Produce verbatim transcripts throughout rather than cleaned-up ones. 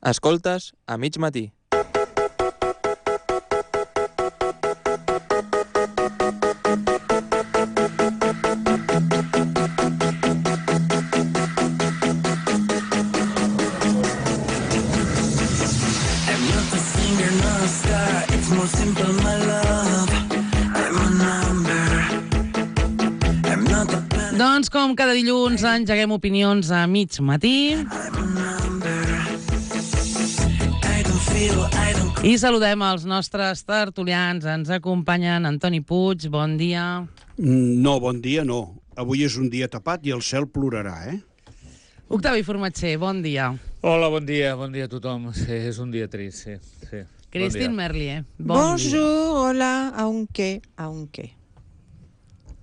Escoltes a mig matí. Doncs com cada dilluns engeguem opinions a mig matí. I saludem els nostres tertulians. Ens acompanyen Antoni Puig, bon dia. No, bon dia no. Avui és un dia tapat i el cel plorarà, eh? Octavi Formatger, bon dia. Hola, bon dia, bon dia a tothom. Sí, és un dia trist, sí. sí. Christine bon Merlier, bon Bonjour, dia. hola, aunque, aunque.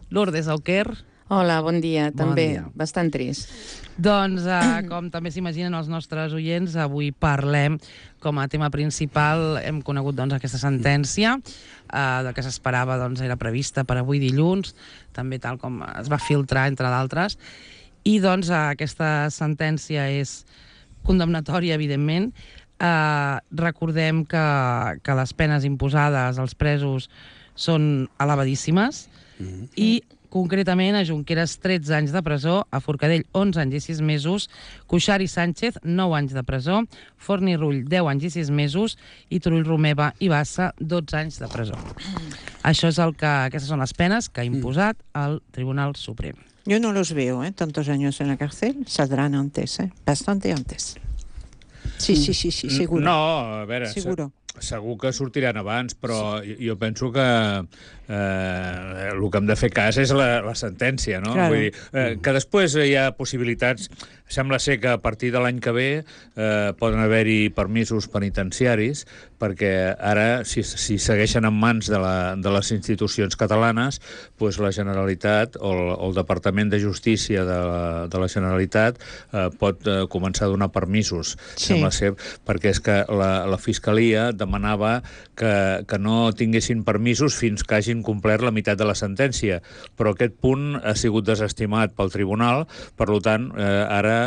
Lourdes Auquer. Hola, bon dia. Bon També dia. bastant trist. Doncs, eh, com també s'imaginen els nostres oients, avui parlem com a tema principal, hem conegut doncs, aquesta sentència, eh, del que s'esperava doncs, era prevista per avui dilluns, també tal com es va filtrar, entre d'altres, i doncs eh, aquesta sentència és condemnatòria, evidentment. Eh, recordem que, que les penes imposades als presos són elevadíssimes, mm-hmm. i concretament a Junqueras tretze anys de presó, a Forcadell onze anys i sis mesos, Cuixart i Sánchez nou anys de presó, Forn i Rull deu anys i sis mesos i Turull, Romeva i Bassa dotze anys de presó. Això és el que, aquestes són les penes que ha imposat el Tribunal Suprem. Yo no los veo, ¿eh? Tantos años en la cárcel, saldrán antes, ¿eh? Bastante antes. Sí, sí, sí, sí, seguro. No, a veure, seguro. Segur que sortiran abans, però sí. jo penso que eh, el que hem de fer cas és la, la sentència, no? Claro. Vull dir, eh, que després hi ha possibilitats. Sembla ser que a partir de l'any que ve eh, poden haver-hi permisos penitenciaris, perquè ara, si, si segueixen en mans de, la, de les institucions catalanes, pues la Generalitat o el, o el Departament de Justícia de la, de la Generalitat eh, pot eh, començar a donar permisos. Sí. Sembla ser, perquè és que la, la Fiscalia demanava que, que no tinguessin permisos fins que hagin complert la meitat de la sentència, però aquest punt ha sigut desestimat pel tribunal, per tant, eh, ara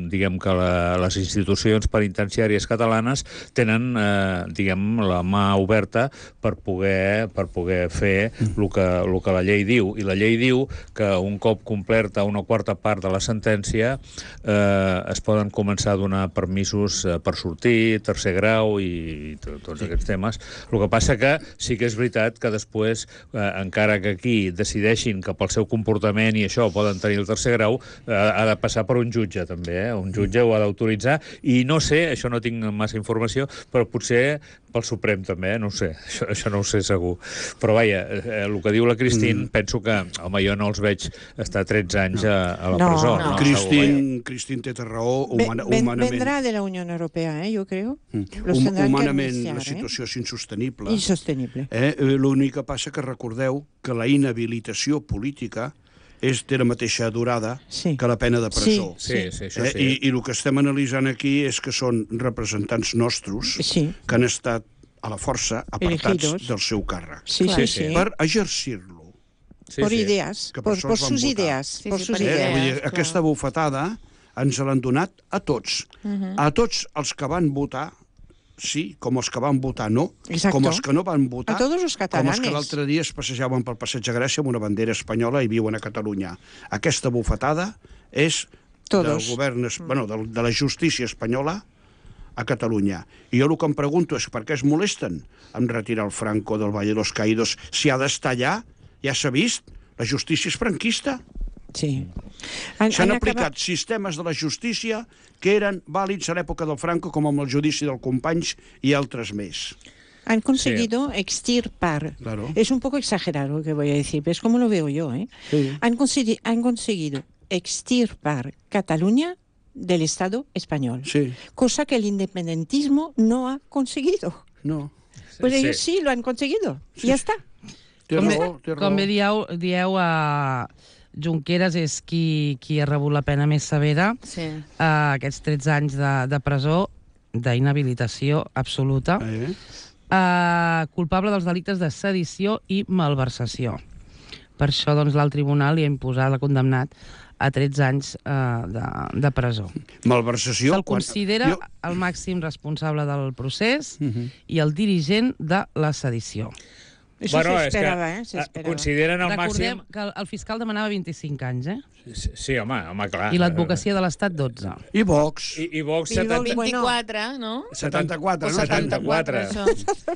diguem que la, les institucions penitenciàries catalanes tenen eh, diguem, la mà oberta per poder, per poder fer el que, el que la llei diu, i la llei diu que un cop complerta una quarta part de la sentència eh, es poden començar a donar permisos eh, per sortir, tercer grau i, i tots sí. aquests temes. El que passa que sí que és veritat que després, eh, encara que aquí decideixin que pel seu comportament i això poden tenir el tercer grau, eh, ha de passar per un jutge també, eh? Un jutge ho ha d'autoritzar, i no sé, això no tinc massa informació, però potser pel Suprem també, eh? No ho sé, això, això no ho sé segur. Però vaja, eh, el que diu la Christine, mm. penso que, home, jo no els veig estar tretze anys a, a la no, presó. No, no. Christine, Christine té raó, humana, Ven, humanament. Vendrá de la Unión Europea, ¿eh? Yo creo. Mm. Hum, humanament la situació eh? és insostenible. Insostenible. Eh? L'únic que passa que recordeu que la inhabilitació política és de la mateixa durada sí. que la pena de presó. Sí, sí, sí, això sí. Eh? I, I el que estem analitzant aquí és que són representants nostres sí. que han estat a la força apartats Elegidos. del seu càrrec. Sí, sí, sí. Per exercir-lo. Sí, por sí. ideas, que por, por sus ideas. Sí, por sí, sus per idees. idees. Vull dir, aquesta bufetada ens l'han donat a tots. Uh-huh. A tots els que van votar sí, com els que van votar no, Exacto. com els que no van votar, a todos los catalanes. com els que l'altre dia es passejaven pel Passeig de Gràcia amb una bandera espanyola i viuen a Catalunya. Aquesta bufetada és todos. del govern, bueno, de, de la justícia espanyola a Catalunya. I jo el que em pregunto és per què es molesten en retirar el Franco del Valle de los Caídos si ha d'estar allà, ja s'ha vist, la justícia és franquista. Sí. S'han aplicat acabat... sistemes de la justícia que eren vàlids a l'època del Franco, com amb el judici del Companys i altres més. Han conseguido sí. extirpar. Claro. Es un poco exagerado lo que voy a decir, pero es como lo veo yo. ¿eh? Sí. Han, consegui... han conseguido extirpar Cataluña del Estado español. Sí. Cosa que el independentismo no ha conseguido. No. Pues sí. ellos sí lo han conseguido. Sí. Y ya está. Té com, raó, té raó. Com bé dieu, dieu a Junqueras és qui, qui ha rebut la pena més severa, sí. uh, aquests tretze anys de, de presó, d'inhabilitació absoluta, eh? uh, culpable dels delictes de sedició i malversació. Per això doncs, l'alt tribunal li ha imposat, l'ha condemnat a tretze anys eh, de, de presó. Malversació... Se'l considera Jo... el màxim responsable del procés Uh -huh. i el dirigent de la sedició. Això Bueno, és s'esperava, que eh? S'esperava. consideren el Recordem màxim... que el- el fiscal demanava vint-i-cinc anys, eh? Sí, sí, home, home, clar. I l'advocacia de l'Estat, dotze. I Vox... I, i Vox... I Vox, setanta... vint-i-quatre, no? setanta-quatre, O no? setanta-quatre. això.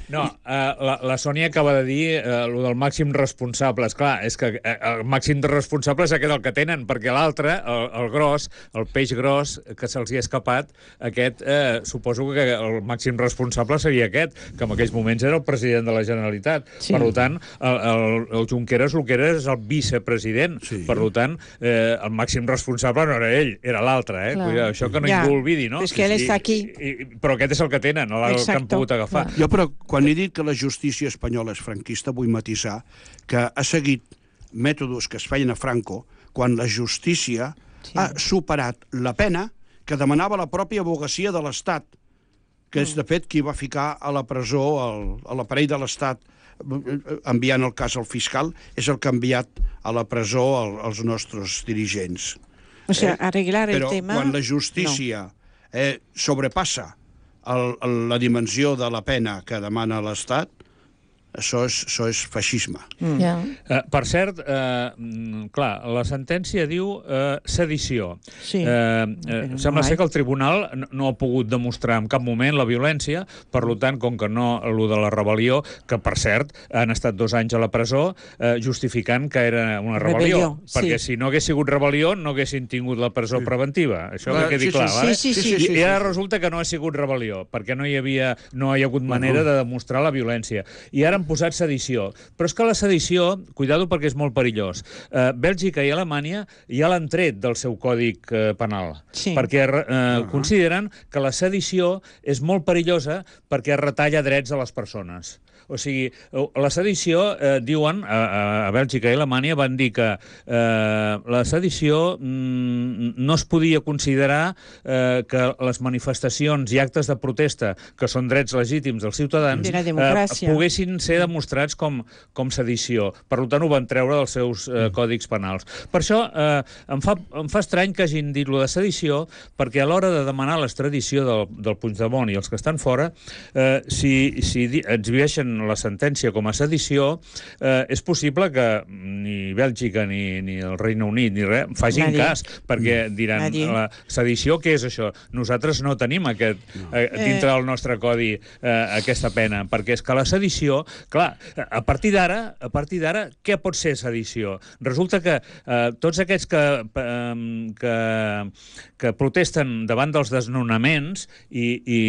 No, eh, la, la Sònia acaba de dir eh, el del màxim responsable. Esclar, és que eh, el màxim de responsable és aquest el que tenen, perquè l'altre, el, el gros, el peix gros que se'ls hi ha escapat, aquest, eh, suposo que el màxim responsable seria aquest, que en aquells moments era el president de la Generalitat. Sí. Per tant, el, el, el Junqueras el que era és el vicepresident. Sí. Per tant, eh, el màxim responsable no era ell, era l'altre. Eh? Clar. Cuida, això que no Ja. ningú ho oblidi, no? És que ell està aquí. I, i, però aquest és el que tenen, el, el que han Exacto. pogut agafar. Jo, però, quan he dit que la justícia espanyola és franquista, vull matisar que ha seguit mètodes que es feien a Franco quan la justícia Sí. ha superat la pena que demanava la pròpia abogacia de l'Estat, que és, de fet, qui va ficar a la presó el, a l'aparell de l'Estat enviant el cas al fiscal, és el que ha enviat a la presó el, els nostres dirigents. O sea, Eh? arreglar el Però tema... quan la justícia no. eh, sobrepassa el, el, la dimensió de la pena que demana l'Estat, això és, això és feixisme. Mm. Ja. Uh, per cert, uh, mm, clar, la sentència diu uh, sedició. Sí. Uh, uh, Però sembla no ser hay. que el tribunal no, no ha pogut demostrar en cap moment la violència, per tant, com que no, allò de la rebel·lió, que per cert han estat dos anys a la presó uh, justificant que era una rebel·lió, Rebel·lió, perquè sí. si no hagués sigut rebel·lió no haguessin tingut la presó preventiva. Això Clar, que quedi sí, sí, clar, sí, vale? sí, sí, sí, I, I ara resulta que no ha sigut rebel·lió, perquè no hi havia, no hi ha hagut manera de demostrar la violència. I ara han posat sedició. Però és que la sedició, cuidado perquè és molt perillós, eh, Bèlgica i Alemanya ja l'han tret del seu còdic eh, penal, Sí. perquè eh, consideren que la sedició és molt perillosa perquè retalla drets a les persones. O sigui, la sedició, eh, diuen, a, a Bèlgica i Alemanya van dir que eh, la sedició mm, no es podia considerar eh, que les manifestacions i actes de protesta, que són drets legítims dels ciutadans, De la democràcia. eh, poguessin ser demostrats com, com sedició. Per tant, ho van treure dels seus eh, còdics penals. Per això eh, em, fa, em fa estrany que hagin dit lo de sedició, perquè a l'hora de demanar l'extradició del, del Puigdemont i els que estan fora, eh, si, si di- exhibeixen la sentència com a sedició, eh, és possible que ni Bèlgica ni, ni el Regne Unit ni res facin Nadie. cas, perquè diran Nadie. la sedició, què és això? Nosaltres no tenim aquest, eh, dintre del nostre codi eh, aquesta pena, perquè és que la sedició, clar, a partir d'ara, a partir d'ara, què pot ser sedició? Resulta que eh, tots aquests que, eh, que, que protesten davant dels desnonaments i, i,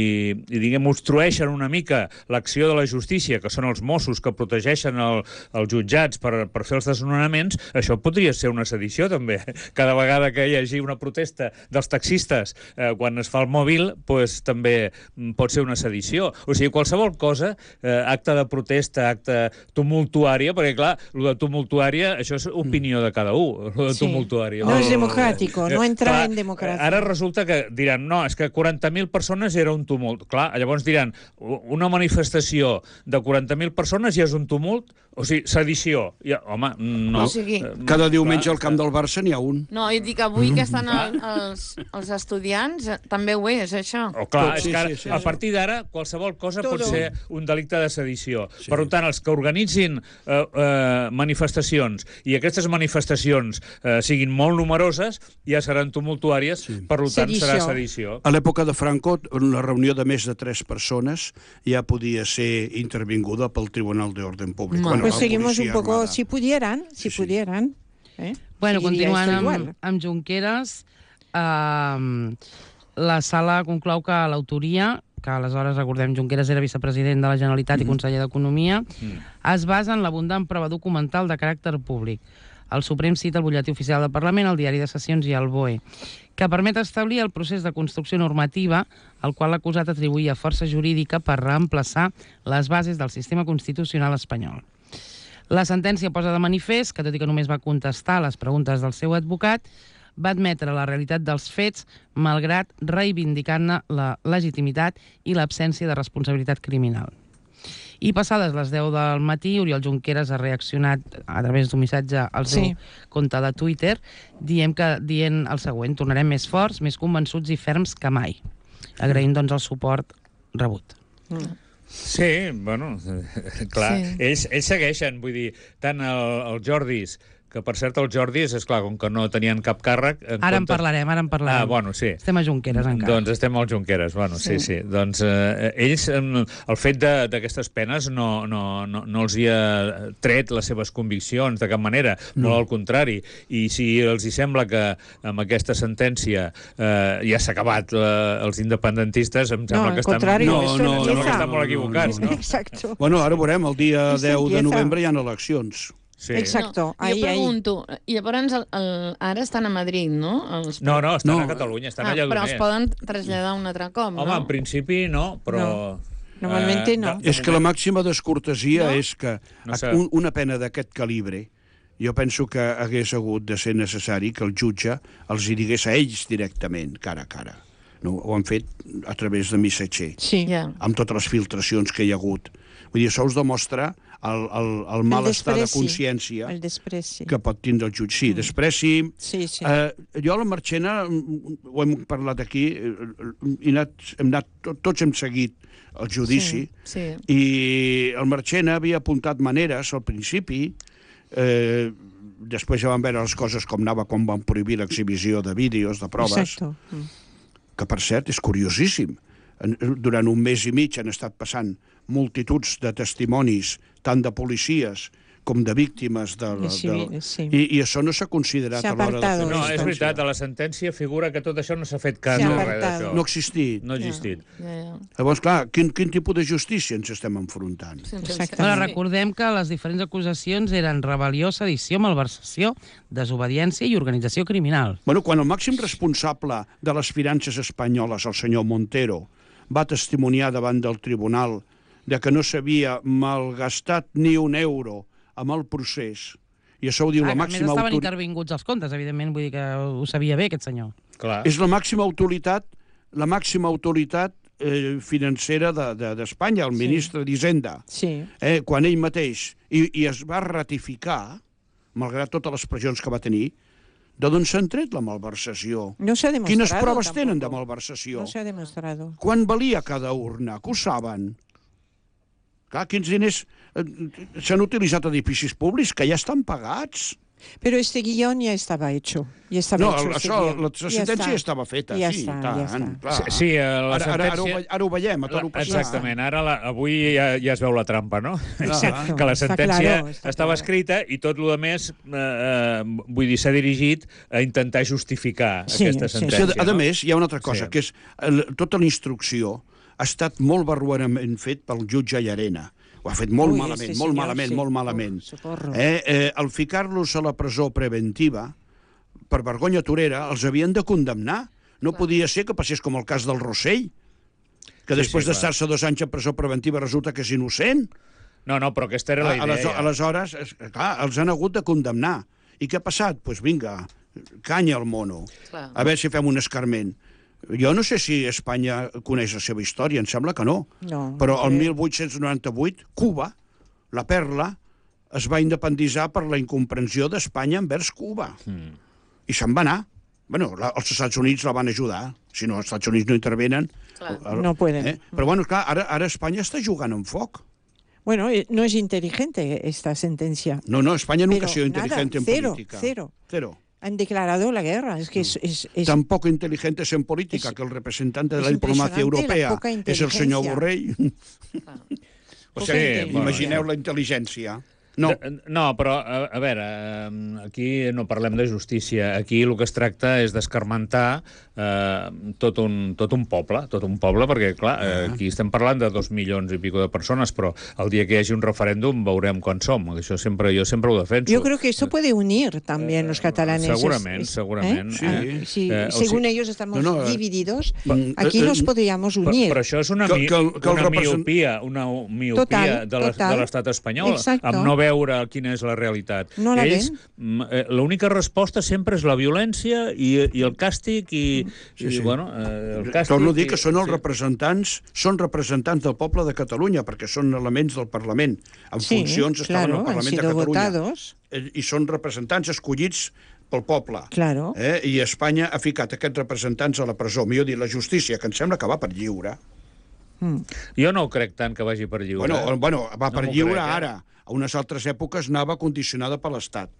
i diguem, obstrueixen una mica l'acció de la justícia, que són els Mossos que protegeixen el, els jutjats per, per fer els desnonaments, això podria ser una sedició, també. Cada vegada que hi hagi una protesta dels taxistes eh, quan es fa el mòbil, pues, també pot ser una sedició. O sigui, qualsevol cosa, eh, acte de protesta, acte tumultuària, perquè, clar, el de tumultuària, això és opinió de cada un, el de Sí. tumultuària. No és El- democràtico, no Eh, entra clar, en democràcia. Ara resulta que diran, no, és que quaranta mil persones era un tumult. Clar, llavors diran, una manifestació de quaranta mil persones ja és un tumult? O sigui, sedició. Ja, home, no. O sigui- Eh, Cada diumenge clar, al camp del Barça n'hi ha un. No, jo dic, avui que estan el, els, els estudiants, eh, també ho és, això. Oh, clar, Tot, és sí, que ara, sí, sí, a sí. partir d'ara qualsevol cosa Todo. pot ser un delicte de sedició. Sí. Per tant, els que organitzin eh, eh, manifestacions i aquestes manifestacions eh, siguin molt numeroses, ja seran tumultuàries, Sí. per tant Sedició. serà sedició. A l'època de Franco, una reunió de més de tres persones ja podia ser intervinguda pel Tribunal de Orden Públic. Bueno, Pues la seguimos un policia poco, armada. si pudieran, si Sí, sí. pudieran. ¿eh? Bueno, Seguiría continuant esto amb, igual. amb Junqueras, eh, la sala conclou que l'autoria, que aleshores, recordem, Junqueras era vicepresident de la Generalitat mm. i conseller d'Economia, mm. es basa en l'abundant prova documental de caràcter públic. El Suprem cita el butlletí oficial del Parlament, el diari de sessions i el B O E, que permet establir el procés de construcció normativa al qual l'acusat atribuïa força jurídica per reemplaçar les bases del sistema constitucional espanyol. La sentència posa de manifest que, tot i que només va contestar les preguntes del seu advocat, va admetre la realitat dels fets, malgrat reivindicant-ne la legitimitat i l'absència de responsabilitat criminal. I passades les deu del matí, Oriol Junqueras ha reaccionat a través d'un missatge al seu Sí. compte de Twitter, dient, que, dient el següent: tornarem més forts, més convençuts i ferms que mai. Agraïm, doncs, el suport rebut. Mm. Sí, bueno, clar, Sí. ells, ells segueixen, vull dir, tant el, el Jordis, que per cert els Jordis, és clar, com que no tenien cap càrrec... En Ara en comptes... parlarem, ara en parlarem. Ah, bueno, sí. Estem a Junqueras encara. Doncs estem al Junqueras, bueno, sí, sí. sí. Doncs eh, ells, eh, el fet d'aquestes penes no, no, no, no els hi ha tret les seves conviccions de cap manera, no. Molt al contrari. I si els hi sembla que amb aquesta sentència eh, ja s'ha acabat eh, els independentistes, em sembla No, que al estan, contrario, No, esto no, em sembla que empieza. estan molt equivocats, no? Exacto. Bueno, ara veurem, el dia Esto deu de empieza. novembre hi ha eleccions. Sí. Exacto. No, Ahí, jo pregunto, i llavors el, el, ara estan a Madrid, no? Els... No, no, estan No. a Catalunya, estan ah, allà però d'on els és. poden traslladar un altre cop, Home, no? en principi no, però... No. Normalmente no. de- de És que la moment- màxima descortesia No? és que No sé. un, una pena d'aquest calibre, jo penso que hagués hagut de ser necessari que el jutge els hi digués a ells directament, cara a cara. No, ho han fet a través de missatger, Sí. Ja. amb totes les filtracions que hi ha hagut. Vull dir, això us demostra el, el, el mal estat de despreci, consciència El despreci. que pot tindre el jutge. Sí, despreci... Sí, sí. Eh, jo a la Marchena, mm, ho hem parlat aquí, eh, he anat, hem anat, tot, tots hem seguit el judici, Sí, sí. i el Marchena havia apuntat maneres al principi, eh, després ja van veure les coses com anava quan van prohibir l'exhibició de vídeos, de proves, Exacto. Mm. que per cert és curiosíssim. En- Durant un mes i mig han estat passant multituds de testimonis, tant de policies com de víctimes de, De de, civiles, sí. i, i això no s'ha considerat S'ha a l'hora de fer apartado No, esto. és veritat, a la sentència figura que tot això no s'ha fet cas Sí, de res apartado. d'això. no ha existit. No ha existit. Ja, ja. Llavors, clar, quin, quin tipus de justícia ens estem enfrontant? Sí, sí, Exacte. Ara, sí. recordem que les diferents acusacions eren rebel·lió, sedició, malversació, desobediència i organització criminal. Bueno, quan el màxim responsable de les finances espanyoles, el senyor Montero, va testimoniar davant del tribunal de que no s'havia malgastat ni un euro amb el procés, i això ho diu Ah, la a més, màxima estaven autoritat... intervinguts els comptes, evidentment, vull dir que ho sabia bé, aquest senyor. Clar. És la màxima autoritat, la màxima autoritat eh, financera d'Espanya, de, de, el ministre d'Hisenda. Sí. Eh, quan ell mateix, i, i es va ratificar, malgrat totes les pressions que va tenir, de d'on s'han tret la malversació? No se ha demostrado. Quines proves tampoco. tenen de malversació? No se ha demostrado. Quan valia cada urna? Que ho saben? Clar, quins diners eh, s'han utilitzat a edificis públics que ja estan pagats. Pero este guión ya estaba hecho. Ya estaba No, hecho el- este això, guión. la Ya sentència está. ja estava feta, Ja sí, està, i ja tant, està. clar. Sí, sí, a la Ara, ara, ara, ho, sentència... ve- ara ho veiem, a tot ho La, passat. exactament, ara la, avui ja, ja es veu la trampa, no? Exacto, que la està sentència claro, està estava claro. escrita i tot el més, eh, eh, vull dir, s'ha dirigit a intentar justificar Sí, aquesta sí, Sí, sentència. a, a no? més, hi ha una altra cosa, Sí. que és el, tota la instrucció ha estat molt barroerament fet pel jutge Llarena. Ho ha fet molt Ui, malament, sí, molt senyor, malament, sí. molt malament. Oh, socorro. Eh, eh, al ficar-los a la presó preventiva, per vergonya torera, els havien de condemnar. No podia ser que passés com el cas del Rossell, que Sí, després sí, clar. d'estar-se dos anys en presó preventiva resulta que és innocent. No, no, però aquesta era la idea. Ales- ja. Aleshores, es- clar, els han hagut de condemnar. I què ha passat? Doncs pues vinga, canya al mono. Clar. A veure si fem un escarment. Jo no sé si Espanya coneix la seva història, em sembla que no. No, Però el crec. mil vuit-cents noranta-vuit, Cuba, la Perla, es va independitzar per la incomprensió d'Espanya envers Cuba. Mm. I se'n va anar. Bueno, la, els Estats Units la van ajudar. Si no, els Estats Units no intervenen. Clar. el- No pueden. Eh? Però bueno, clar, ara, ara Espanya està jugant amb foc. Bueno, eh, no es inteligente esta sentencia. No, no, Espanya nunca Pero ha sido nada, inteligente en cero, política. cero. Cero. Han declarado la guerra. Es que es, es, es- Tampoco inteligentes en política, es- que el representante de es la diplomacia impresionante la europea poca és el senyor inteligencia. Borrell. O Poca sigui, intel·ligència. Imagineu la intel·ligència. No, De- No, però, a, a veure, eh, aquí no parlem de justícia. Aquí el que es tracta és d'escarmentar eh, tot, un, tot un poble, tot un poble, perquè, clar, eh, aquí estem parlant de dos milions i pico de persones, però el dia que hi hagi un referèndum veurem quan som. Això sempre, jo sempre ho defenso. Yo creo que esto puede unir también los catalanes. segurament, Es- es- segurament. Sí. Ah, si, Eh, o según sigui- ellos estamos No, no, eh, divididos, mm, aquí eh, nos eh, podríamos Però, unir. però això és una, Que- mi, que el- que el una represent- miopia, una miopia Total, de l'es- total. de l'estat espanyol, Exacto. amb no veure veure quina és la realitat. No la Ells, ven. l'única resposta sempre és la violència i, i el càstig i, Sí, i sí. bueno, eh, el càstig... Torno a dir que i- són els sí. representants, són representants del poble de Catalunya, perquè són elements del Parlament. En Sí, funcions estaven claro, al han Parlament de sido Catalunya. votados. Eh, I són representants escollits pel poble. Claro. Eh? I Espanya ha ficat aquests representants a la presó. Millor dir, la justícia, que em sembla que va per lliure. Jo no ho crec tant que vagi per lliure. Bueno, eh? bueno, va No per m'ho lliure crec, eh? ara. A unes altres èpoques anava condicionada per l'Estat.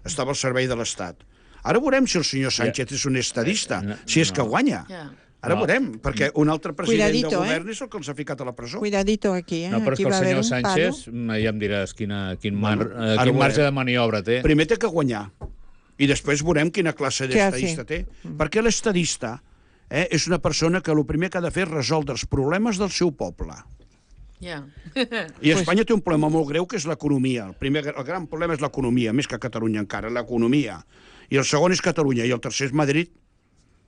Estava al servei de l'Estat. Ara veurem si el senyor Sánchez és un estadista, no, si és que guanya. Ja. Ara No. veurem, perquè un altre president Cuidadito, de eh? govern és el que els ha ficat a la presó. Cuidadito aquí, eh? No, però és aquí que el va a haver senyor un Sánchez, palo. ja em diràs quina, quin, mar, Bueno, eh, ara quin ho marge veurem. de maniobra té. Primer té que guanyar, i després veurem quina classe Què ha d'estadista fet? té. Perquè l'estadista eh, és una persona que el primer que ha de fer és resoldre els problemes del seu poble. Ja. I Espanya té un problema molt greu, que és l'economia. El primer, el gran problema és l'economia, més que Catalunya encara, l'economia. I el segon és Catalunya, i el tercer és Madrid,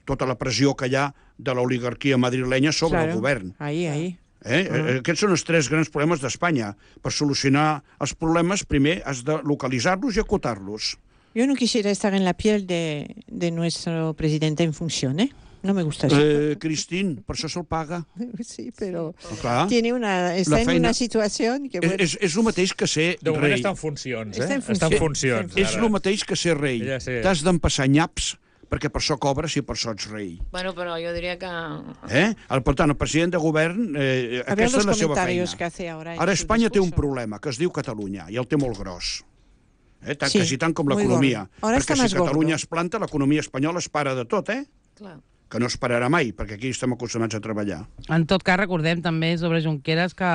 tota la pressió que hi ha de l'oligarquia madrilenya sobre Claro. el govern. Ahí, ahí. Eh? Uh-huh. Aquests són els tres grans problemes d'Espanya. Per solucionar els problemes, primer has de localitzar-los i acotar-los. Yo no quisiera estar en la piel de, de nuestro presidente en función, ¿eh? No me gusta eso. Eh, Cristín, per això se'l paga. Sí, pero Clar. tiene una, está La en feina- una situación que... És, Bueno, és, és el mateix que ser De moment rei. està en funcions, eh? Està en Està en funcions. funcions. És ara. el mateix que ser rei. Ja sé. T'has d'empassar nyaps perquè per això cobres i per això ets rei. Bueno, però jo diria que... Eh? El, per tant, el president de govern, eh, a ver aquesta los és la seva feina. comentarios que hace ahora. en Ara su Espanya té un discurso. problema, que es diu Catalunya, i el té molt gros. Eh? Tant, Sí, quasi tant com muy l'economia. gordo. Ara Perquè està si més Catalunya gordo. es planta, l'economia espanyola es para de tot, eh? Clar. Que no es pararà mai, perquè aquí estem acostumats a treballar. En tot cas, recordem també sobre Junqueras que,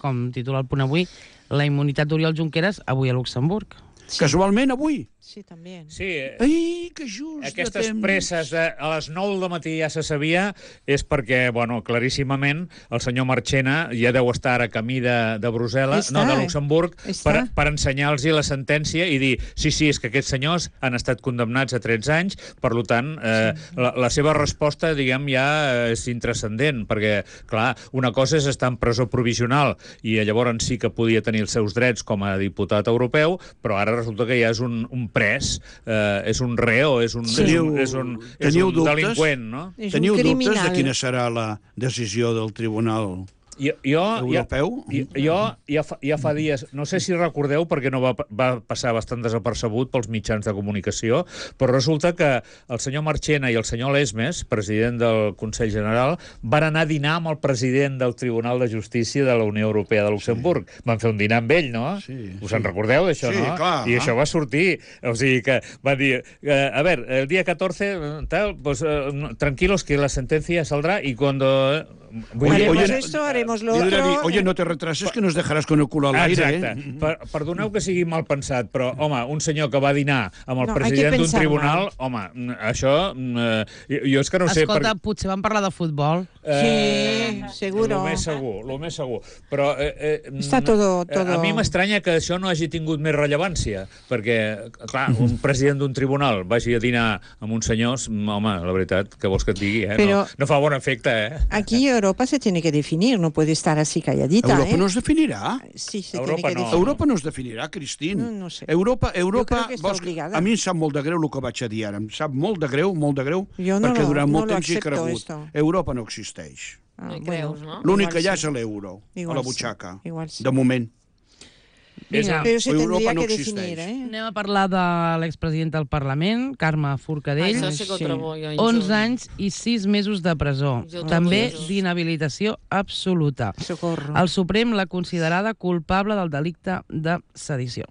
com titula el punt avui, la immunitat d'Oriol Junqueras avui a Luxemburg. Sí. Casualment, avui. Sí, también. Sí, eh, Ai, que just aquestes de temps. presses de, a les nou del matí ja se sabia, és perquè, bueno, claríssimament, el senyor Marchena ja deu estar a camí de, de Brussel·les, Està, no, de eh? Luxemburg, Està. per, per ensenyar-los la sentència i dir, sí, sí, és que aquests senyors han estat condemnats a tretze anys, per tant, eh, sí. la, la seva resposta, diguem, ja és intrascendent, perquè, clar, una cosa és estar en presó provisional i llavors sí que podia tenir els seus drets com a diputat europeu, però ara resulta que ja és un, un pres, eh, és un reo, és un, Sí. és un, és un, és Teniu un dubtes? delinqüent, no? És Teniu un dubtes criminal. de quina serà la decisió del Tribunal Jo, jo, Europeu? Jo, jo ja, fa, ja fa dies, no sé si recordeu, perquè no va, va passar bastant desapercebut pels mitjans de comunicació, però resulta que el senyor Marchena i el senyor Lesmes, president del Consell General, van anar a dinar amb el president del Tribunal de Justícia de la Unió Europea de Luxemburg. Sí. Van fer un dinar amb ell, no? Sí, Us sí. en recordeu d'això, Sí, no? clar. I això va sortir. O sigui que van dir, eh, a ver, el día catorce, tal, pues eh, tranquilos que la sentencia saldrá y cuando... eh, vull dir- Haremos oye, esto, haremos lo Li dirà otro. dir, oye, no te retrases que nos dejarás con el culo al aire, Exacte. eh? Per, perdoneu que sigui mal pensat, però, home, un senyor que va dinar amb el No, hay que president d'un pensar tribunal, mal. home, mm, això... mm, eh, jo, jo és que no sé... Escolta, per- potser van parlar de futbol. Sí, seguro. El més segur, el més segur. Però eh, eh, Està todo- eh, todo- a mi m'estranya que això no hagi tingut més rellevància, perquè, clar, un president d'un tribunal vagi a dinar amb uns senyors, mm, home, la veritat, que vols que et digui, eh? Però- no, no fa bon efecte, eh? Aquí Europa se tiene que definir, no puede estar así calladita. Europa ¿eh? no es definirà. Sí, se Europa tiene que no. definir. Europa no es definirà, Cristín. No, no sé. Europa, Europa, creo que està vols que- obligada. a mi em sap molt de greu el que vaig a dir ara. Em sap molt de greu, molt de greu, Jo no perquè lo- durant no molt lo temps hi he acepto, cregut. esto. Europa no existeix. Ah, No hi bueno, creus, no? L'únic igual que hi ha sí. és l'euro, a Igual la sí, butxaca. igual sí. De moment. Vinga, Pero se Europa tendría no que existeix. definir, ¿eh? anem a parlar de l'expresidenta del Parlament, Carme Forcadell. Això sí que ho Sí. trobo jo injust. onze anys i sis mesos de presó. Jo trobo També injust. d'inhabilitació absoluta. Socorro. El Suprem l'ha considerada culpable del delicte de sedició.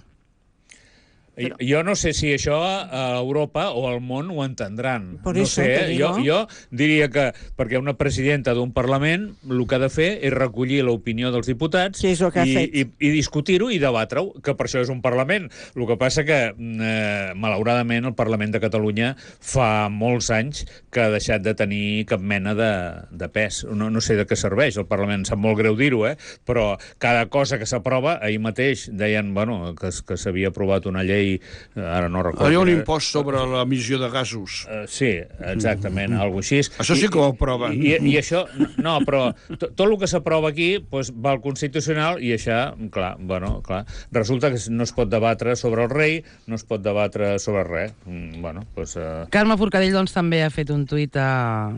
Però... Jo no sé si això a Europa o al món ho entendran. Por no eso sé, te digo. jo, jo diria que perquè una presidenta d'un Parlament el que ha de fer és recollir l'opinió dels diputats Sí, és el que ha i, fet. i, i discutir-ho i debatre-ho, que per això és un Parlament. El que passa que, eh, malauradament, el Parlament de Catalunya fa molts anys que ha deixat de tenir cap mena de, de pes. No, no sé de què serveix el Parlament, em sap molt greu dir-ho, eh? Però cada cosa que s'aprova, ahir mateix deien bueno, que, que s'havia aprovat una llei llei, ara no recordo... Hi ha un impost sobre l'emissió de gasos. Uh, sí, exactament, alguna cosa així. Això sí que ho aproven. I, i, i això, no, però to, tot el que s'aprova aquí doncs, va al Constitucional i això, clar, bueno, clar, resulta que no es pot debatre sobre el rei, no es pot debatre sobre res. Mm, bueno, doncs... Uh... Carme Forcadell, doncs, també ha fet un tuit a...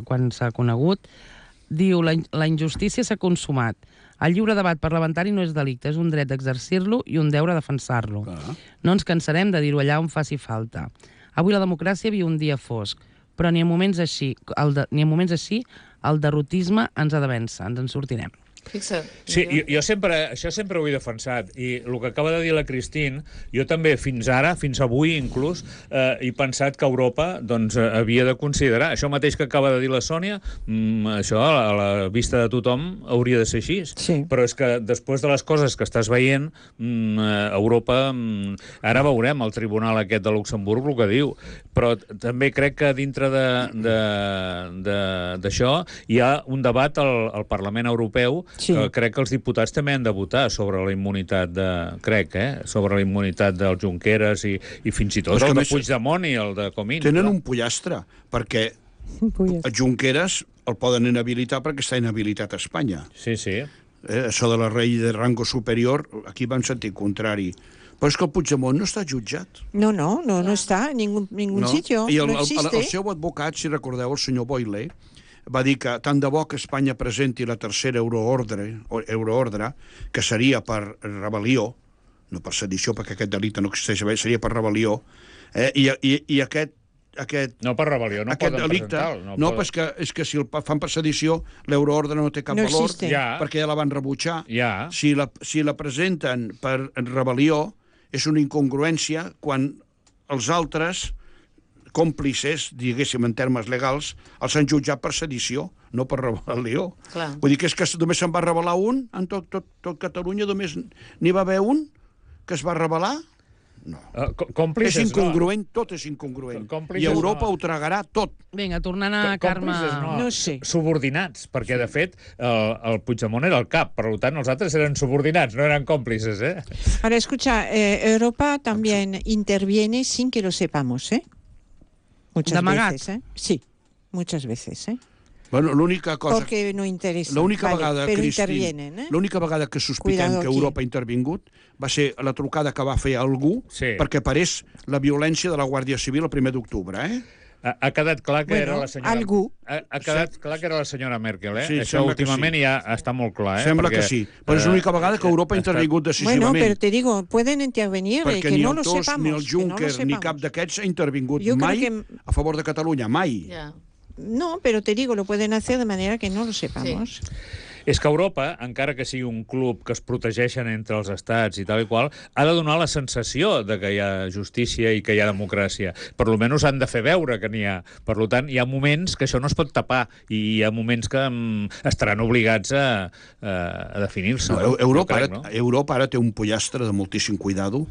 quan s'ha conegut. Diu, la, la injustícia s'ha consumat. El lliure debat parlamentari no és delicte, és un dret d'exercir-lo i un deure defensar-lo. Ah. No ens cansarem de dir-ho allà on faci falta. Avui la democràcia viu un dia fosc, però ni en moments així, el de, ni en moments així el derrotisme ens ha de vèncer, ens en sortirem. Fixa't. Sí, jo, jo sempre, això sempre ho he defensat, i el que acaba de dir la Christine, jo també fins ara, fins avui inclús, eh, he pensat que Europa doncs, havia de considerar, això mateix que acaba de dir la Sònia, mm, això a la vista de tothom hauria de ser així, sí. Però és que després de les coses que estàs veient, mm, Europa, mm, ara veurem el tribunal aquest de Luxemburg el que diu, però també crec que dintre d'això hi ha un debat al, al Parlament Europeu. Sí. Que crec que els diputats també han de votar sobre la immunitat de... Crec, eh? Sobre la immunitat dels Junqueras i, i fins i tot el de Puigdemont i el de Comín. Tenen un pollastre, perquè a Junqueras el poden inhabilitar perquè està inhabilitat a Espanya. Sí, sí. Eh, això de la rei de rango superior, aquí va en sentit contrari. Però és que el Puigdemont no està jutjat. No, no, no, no està en ningún, ningún no? sitio, I el, no existe. El, el seu advocat, si recordeu, el senyor Boyle, va dir que tant de bo que Espanya presenti la tercera euroordre, euroordre que seria per rebel·lió, no per sedició, perquè aquest delicte no existeix, seria per rebel·lió, eh? I, i, i aquest, aquest... No per rebel·lió, no aquest poden delicte, presentar-lo. No, no poden... és, que, és que si el fan per sedició, l'euroordre no té cap no valor, ja. perquè ja la van rebutjar. Ja. Si, la, si la presenten per rebel·lió, és una incongruència quan els altres còmplices, diguéssim, en termes legals, els han jutjat per sedició, no per rebel·lió. Clar. Vull dir que és que només se'n va rebel·lar un, en tot, tot, tot Catalunya només n'hi va haver un que es va rebel·lar? No. Uh, còmplices, és incongruent, no. Tot és incongruent. Còmplices, I Europa no. ho tragarà tot. Vinga, tornant a Carme... No, no sé. Subordinats, perquè, de fet, el, el Puigdemont era el cap, per tant, els altres eren subordinats, no eren còmplices, eh? Ahora, escucha, eh, Europa también interviene sin que lo sepamos, ¿eh? Muchas veces, ¿eh? Sí, muchas veces, ¿eh? Bueno, l'única cosa... Porque no interesa. L'única vale, vegada, però Christine, intervienen, eh? l'única vegada que sospitem Cuidado que aquí. Europa ha intervingut va ser la trucada que va fer algú Sí. perquè parés la violència de la Guàrdia Civil el primer d'octubre, eh? Ha, ha quedat clar que Bueno, era la senyora... algú. Ha, ha quedat clar que era la senyora Merkel, eh? Sí, Això sembla que últimament sí. ja està molt clar, eh? Sembla Perquè, que sí. Però és l'única vegada que Europa ha intervingut decisivament. Bueno, pero te digo, pueden intervenir, eh, perquè que ni no el lo Tusk, sepamos. ni el Juncker, que no lo ni cap sepamos. d'aquests ha intervingut Jo crec mai que- a favor de Catalunya, mai. Ja. No, pero te digo, lo pueden hacer de manera que no lo sepamos. És que Europa, encara que sigui un club que es protegeixen entre els estats i tal i qual, ha de donar la sensació de que hi ha justícia i que hi ha democràcia. Per lo menys han de fer veure que n'hi ha. Per tant, hi ha moments que això no es pot tapar i hi ha moments que um, estaran obligats a, a, a definir-se. No, Europa, crec, ara, no? Europa ara té un pollastre de moltíssim cuidado.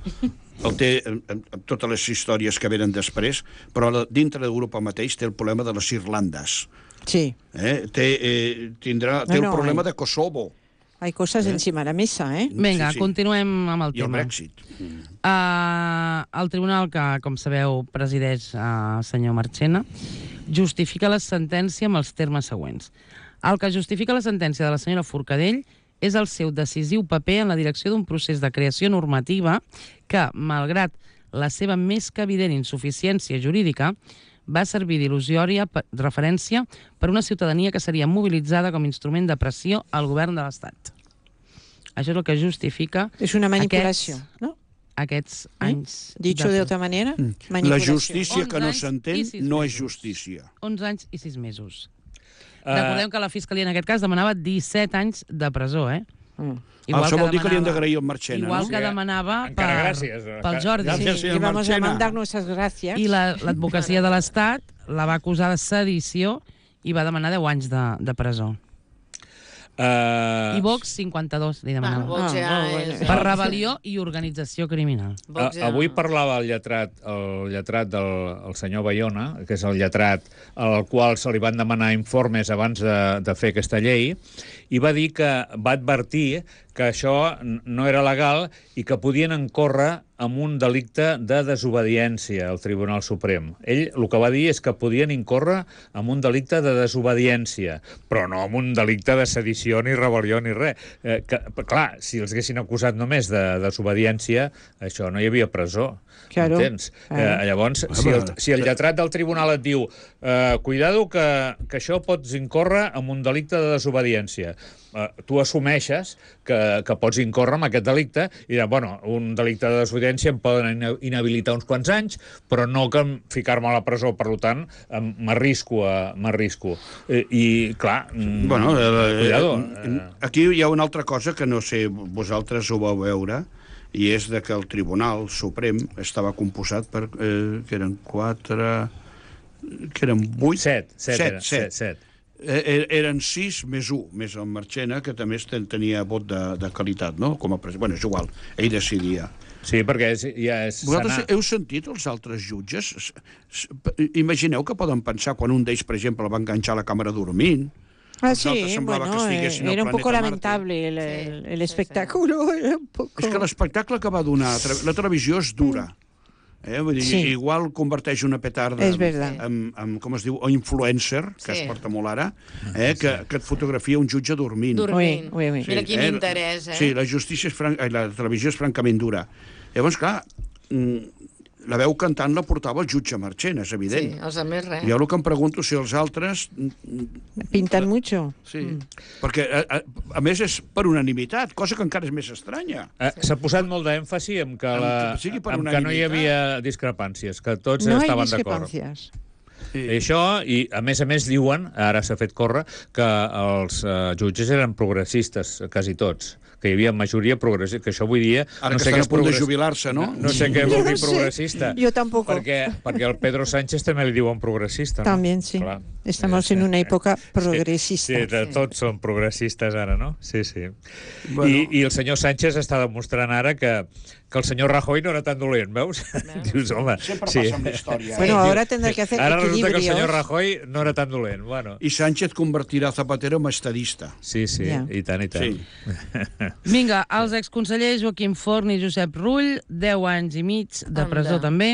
El té amb, amb totes les històries que venen després, però la, dintre d'Europa mateix té el problema de les Irlandes. Sí. Eh? Té, eh, tindrà, té No, el no, problema hay- de Kosovo Hay cosas ¿Eh? encima de la mesa, ¿eh? Vinga, Sí, sí. continuem amb el i el tema. Brexit. Uh, el tribunal, que, com sabeu, presideix el uh, senyor Marchena, justifica la sentència amb els termes següents. El que justifica la sentència de la senyora Forcadell és el seu decisiu paper en la direcció d'un procés de creació normativa que, malgrat la seva més que evident insuficiència jurídica, va servir d'il·lusiòria referència per una ciutadania que seria mobilitzada com a instrument de pressió al govern de l'Estat. Això és el que justifica Es una manipulación, aquests, ¿no? aquests ¿Eh? anys... Dicho de otra manera, La manipulación. justícia que no onze anys s'entén i sis no és mesos. justícia. onze anys i sis mesos. Uh, Recordem que la Fiscalia en aquest cas demanava disset anys de presó, eh? Mm. Ah, això vol dir que li hem demanava- d'agrair al Marchena, Igual no? que demanava Encara per, gràcies. pel Jordi. Gràcies, Sí, señor y vamos a Marchena. mandar nuestras gracias. I la- l'advocacia de l'Estat la va acusar de sedició i va demanar deu anys de, de presó. uh, I Vox, cinquanta-dos, li demanava. Bueno, Vox ja Ah, bueno. és... Per rebel·lió i organització criminal. Vox ja- A, avui parlava el lletrat, el lletrat del el senyor Bayona, que és el lletrat al qual se li van demanar informes abans de, de fer aquesta llei, i va dir que va advertir que això n- no era legal i que podien encórrer amb un delicte de desobediència al Tribunal Suprem. Ell el que va dir és que podien incórrer amb un delicte de desobediència, però no amb un delicte de sedició ni rebel·lió ni res. Eh, que, clar, si els haguessin acusat només de desobediència, això no hi havia presó. Claro. Entens? Claro. Eh, llavors, si el, si el lletrat del tribunal et diu eh, cuidado que, que això pots incórrer amb un delicte de desobediència, eh, tu assumeixes que, que pots incórrer amb aquest delicte i dir, bueno, un delicte de desobediència em poden inhabilitar uns quants anys, però no que ficar-me a la presó, per tant, m'arrisco a m'arrisco. Eh, I, clar, mm, Bueno, eh, cuidado. eh, aquí hi ha una altra cosa que no sé, vosaltres ho vau veure, i és de que el Tribunal Suprem estava composat per, eh, que eren quatre, que eren vuit... Set, set, set, eren, set. set, set. Eh, eren sis més un, més el Marchena, que també ten, tenia vot de, de qualitat, no? Com a president. Bueno, és igual, ell decidia. Sí, perquè és, ja és... Vosaltres sana... heu sentit els altres jutges? S- s- Imagineu que poden pensar quan un d'ells, per exemple, va enganxar la càmera dormint. Ah, Els altres sí, semblava bueno, que eh, estiguessin al era un poco planeta lamentable el, el, Sí, el sí, espectáculo. Era un poco... És que l'espectacle que va donar... La televisió és dura. Eh? Vull dir, Sí. igual converteix una petarda És en, verdad. en, en, com es diu, o influencer, que Sí. es porta molt ara, eh? que, que et fotografia un jutge dormint. Dormint. Ui, ui, ui. Mira quin eh? interès, eh? Sí, la justícia és fran... la televisió és francament dura. Llavors, clar, mm, la veu cantant la portava el jutge Marchena, és Sí, evident. els altres res. Jo el que em pregunto si els altres... mm, Pintan mucho. Sí, perquè a, a, a més és per unanimitat, cosa que encara és més estranya. Eh, S'ha posat molt d'èmfasi en que, En la, que sigui per en que no hi unanimitat. havia discrepàncies, que tots No hay estaven d'acord. discrepancias. Sí. I això, i a més a més diuen, ara s'ha fet córrer, que els uh, jutges eren progressistes, quasi tots, que hi havia majoria progressista, que això avui dia... Ara no que sé estan què a és punt de progress- jubilar-se, no? No, no sé què vol Yo dir no sé. progressista. Yo tampoco. Perquè, perquè el Pedro Sánchez també li diuen progressista. No? También, sí. Clar. Estamos en una época progresista. Sí, sí, de, tots són progressistes ara, no? Sí, sí. Bueno. I, I el senyor Sánchez està demostrant ara que, que el senyor Rajoy no era tan dolent, veus? Dius, home, Sempre sí. passa amb la història. Bueno, eh? ahora tendrá que hacer Ara resulta que el senyor equilibrios. Rajoy no era tan dolent. Bueno, I Sánchez convertirà Zapatero en estadista. sí, sí, Ja. i tant, i tant. Sí. Vinga, els exconsellers Joaquim Forn i Josep Rull, deu anys i mig de presó Anda. també,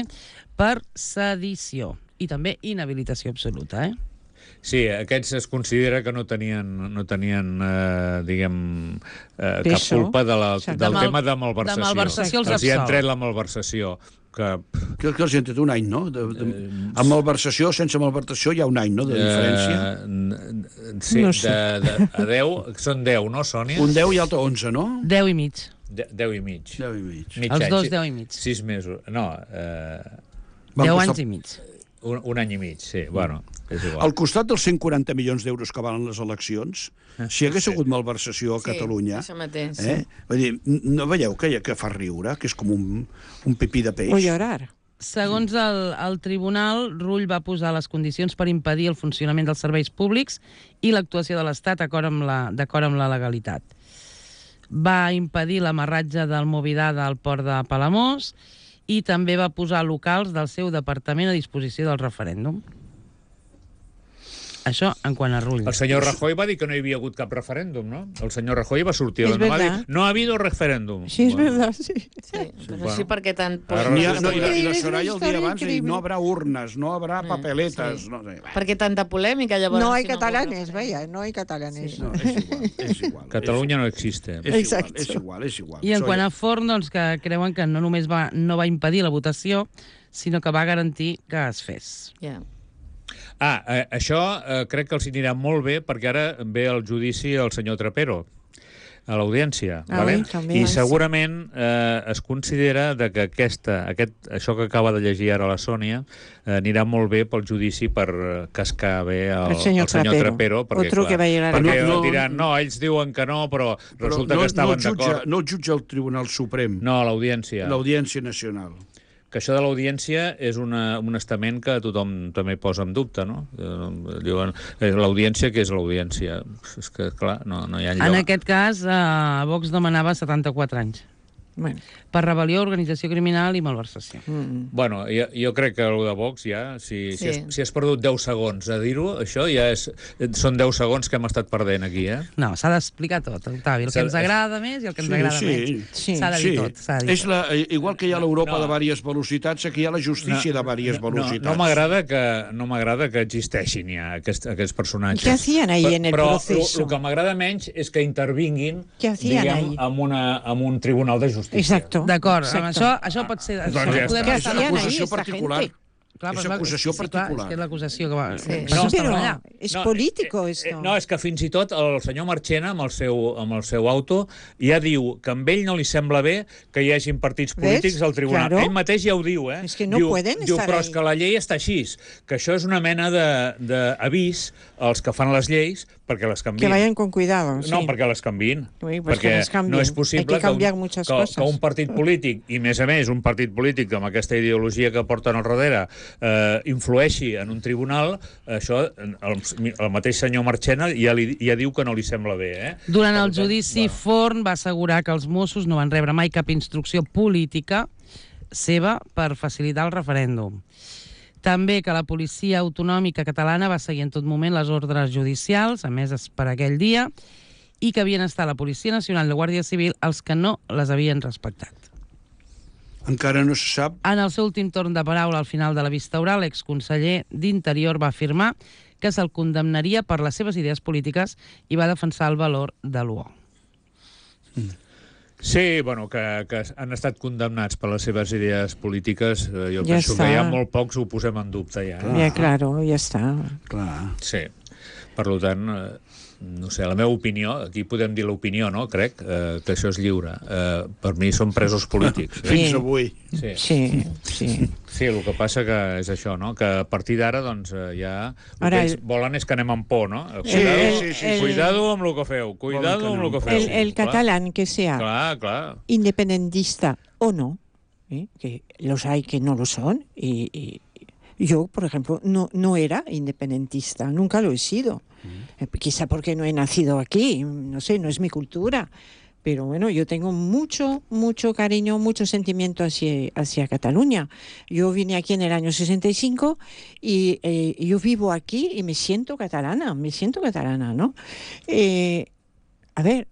per sedició. I també inhabilitació absoluta, eh? Sí, aquests es considera que no tenien, no tenien eh, diguem, eh, cap Peso. culpa de la, Exacte. del De mal- tema de malversació. de malversació els els hi han absolt. tret la malversació. Que, Que, que els han tret un any, no? De, de, amb malversació, sense malversació, hi ha un any, no?, de diferència. Eh, n- sí, No sé. de, de, a deu, són deu, no, Sònia? Un deu i altre onze, no? Deu i mig. De, deu i mig. Deu i mig. Mig Els any, dos sí. deu i mig. Sis mesos. No, eh, Van Deu costar- anys i mig. un, un any i mig, sí. Bueno, és igual. Al costat dels cent quaranta milions d'euros que valen les eleccions, si hi hagués hagut malversació a Sí, Catalunya... això mateix, sí. Eh? Vull dir, no veieu que, que fa riure, que és com un, un pipí de peix? O llorar. Segons el, el tribunal, Rull va posar les condicions per impedir el funcionament dels serveis públics i l'actuació de l'Estat d'acord amb, la, d'acord amb la legalitat. Va impedir l'amarratge del Movidada al port de Palamós i també va posar locals del seu departament a disposició del referèndum. Això en quant a Rull. El senyor Rajoy va dir que no hi havia hagut cap referèndum, no? El senyor Rajoy va sortir a És la va dir, verdad. no ha habido referèndum. Sí, es verdad, sí. Sí, però bueno. sí, perquè tant... Ara N'hi ha, resulta no, i, la, I la És una Soraya el dia història abans ha dit, increïble. no habrá urnes, no habrá papeletes... sí. No, sé. Perquè tanta polèmica, llavors... No hay si catalanes, no... vaya, no hay catalanes. No, és igual, és igual. Catalunya no existe. És igual, Exacte. és igual, és igual. I en Soy- quant a Forn, doncs, que creuen que no només va, no va impedir la votació, sinó que va garantir que es fes. Ja. Ah, eh, això eh, crec que els anirà molt bé perquè ara ve el judici al senyor Trapero a l'audiència, Ah, vale? ui, també. I segurament eh, es considera de que aquesta, aquest, això que acaba de llegir ara la Sònia eh, anirà molt bé pel judici per eh, cascar bé el, El senyor el senyor Trapero. Trapero perquè, Otro que va llegar a- perquè No, no, diran, no, ells diuen que no, però Però resulta no, que estaven no, el jutja, d'acord. no el jutja el Tribunal Suprem, No, a l'audiència. l'Audiència Nacional. Que això de l'audiència és una, un estament que tothom també posa en dubte, no? Eh, Diuen, eh, l'audiència, què és l'audiència? És que, clar, no, no hi ha lloc. En aquest cas, eh, Vox demanava setanta-quatre anys. Bueno. Per rebel·lió, organització criminal i malversació. Mm. Bueno, jo, jo crec que el de Vox ja, si, Sí. si, has, si has perdut deu segons a dir-ho, això ja és, són deu segons que hem estat perdent aquí, eh? No, s'ha d'explicar tot, Octavi, el que ens agrada més i el que ens Sí, agrada sí. menys. Sí. S'ha de dir Sí, tot, s'ha de dir és tot. la, igual que hi ha l'Europa No. de diverses velocitats, aquí hi ha la justícia de diverses No, velocitats. no m'agrada que, no m'agrada que existeixin ja aquests, aquests personatges. ¿Qué hacían ahí en el Però proceso? el que m'agrada menys és que intervinguin, Què hacían diguem, ahí? amb, una, amb un tribunal de justícia. Exacto. D'acord, amb Exacto. això, això pot ser... Doncs això ja podem està. És estar- una hacían ahí acusació esta particular. gente? Clar, És però acusació sí, clar, particular. és que és l'acusació que va... Sí. Per Sí, això està pero allà. es No, político eh, esto. eh, No, és que fins i tot el senyor Marchena, amb el seu, amb el seu auto, ja diu que amb ell no li sembla bé que hi hagin partits polítics ¿Ves? al tribunal. Claro. Ell mateix ja ho diu, eh? És que no diu, pueden diu, estar però ahí. és que la llei està així, que això és una mena d'avís als que fan les lleis perquè les canviïn. Que vayan con cuidado. No, sí. perquè les canviïn. Ui, pues perquè que les canviïn. no és possible Hay que cambiar un, muchas que, cosas. que un partit polític, i més a més un partit polític amb aquesta ideologia que porten al darrere, eh, influeixi en un tribunal, això el, el mateix senyor Marchena ja, li, ja diu que no li sembla bé. Eh? Durant Per el tant, judici, bueno. Forn va assegurar que els Mossos no van rebre mai cap instrucció política seva per facilitar el referèndum. També que la policia autonòmica catalana va seguir en tot moment les ordres judicials, emeses per aquell dia, i que havien estat la Policia Nacional i la Guàrdia Civil els que no les havien respectat. Encara no se sap. En el seu últim torn de paraula al final de la vista oral, l'exconseller d'Interior va afirmar que se'l condemnaria per les seves idees polítiques i va defensar el valor de l'U O. Sí, bueno, que, que han estat condemnats per les seves idees polítiques. eh, Jo Ja penso està. que ja molt pocs ho posem en dubte, ja. Eh? Ya, claro, ya está. Clar. Sí. Per tant, eh, no sé, la meva opinió, aquí podem dir l'opinió, no? Crec eh, que això és lliure. Eh, per mi són presos polítics. Eh? Fins Sí. avui. Sí. Sí, sí. Sí, el que passa que és això, no? Que a partir d'ara, doncs, eh, ja... El Ara, que ells el- volen és que anem amb por, no? Sí, Cuidado, sí, sí, sí. cuidado amb el que feu, cuidado Volen que amb el que anem feu. El, el Clar, catalán que sea Clar, clar. independentista o no, ¿eh? Que los hay que no lo son, y, y yo, por ejemplo, no, no era independentista, nunca lo he sido. Eh, quizá porque no he nacido aquí, no sé, no es mi cultura. Pero bueno, yo tengo mucho, mucho cariño, mucho sentimiento hacia, hacia Cataluña. Yo vine aquí en el año sesenta y cinco y eh, yo vivo aquí y me siento catalana, me siento catalana, ¿no? Eh, a ver,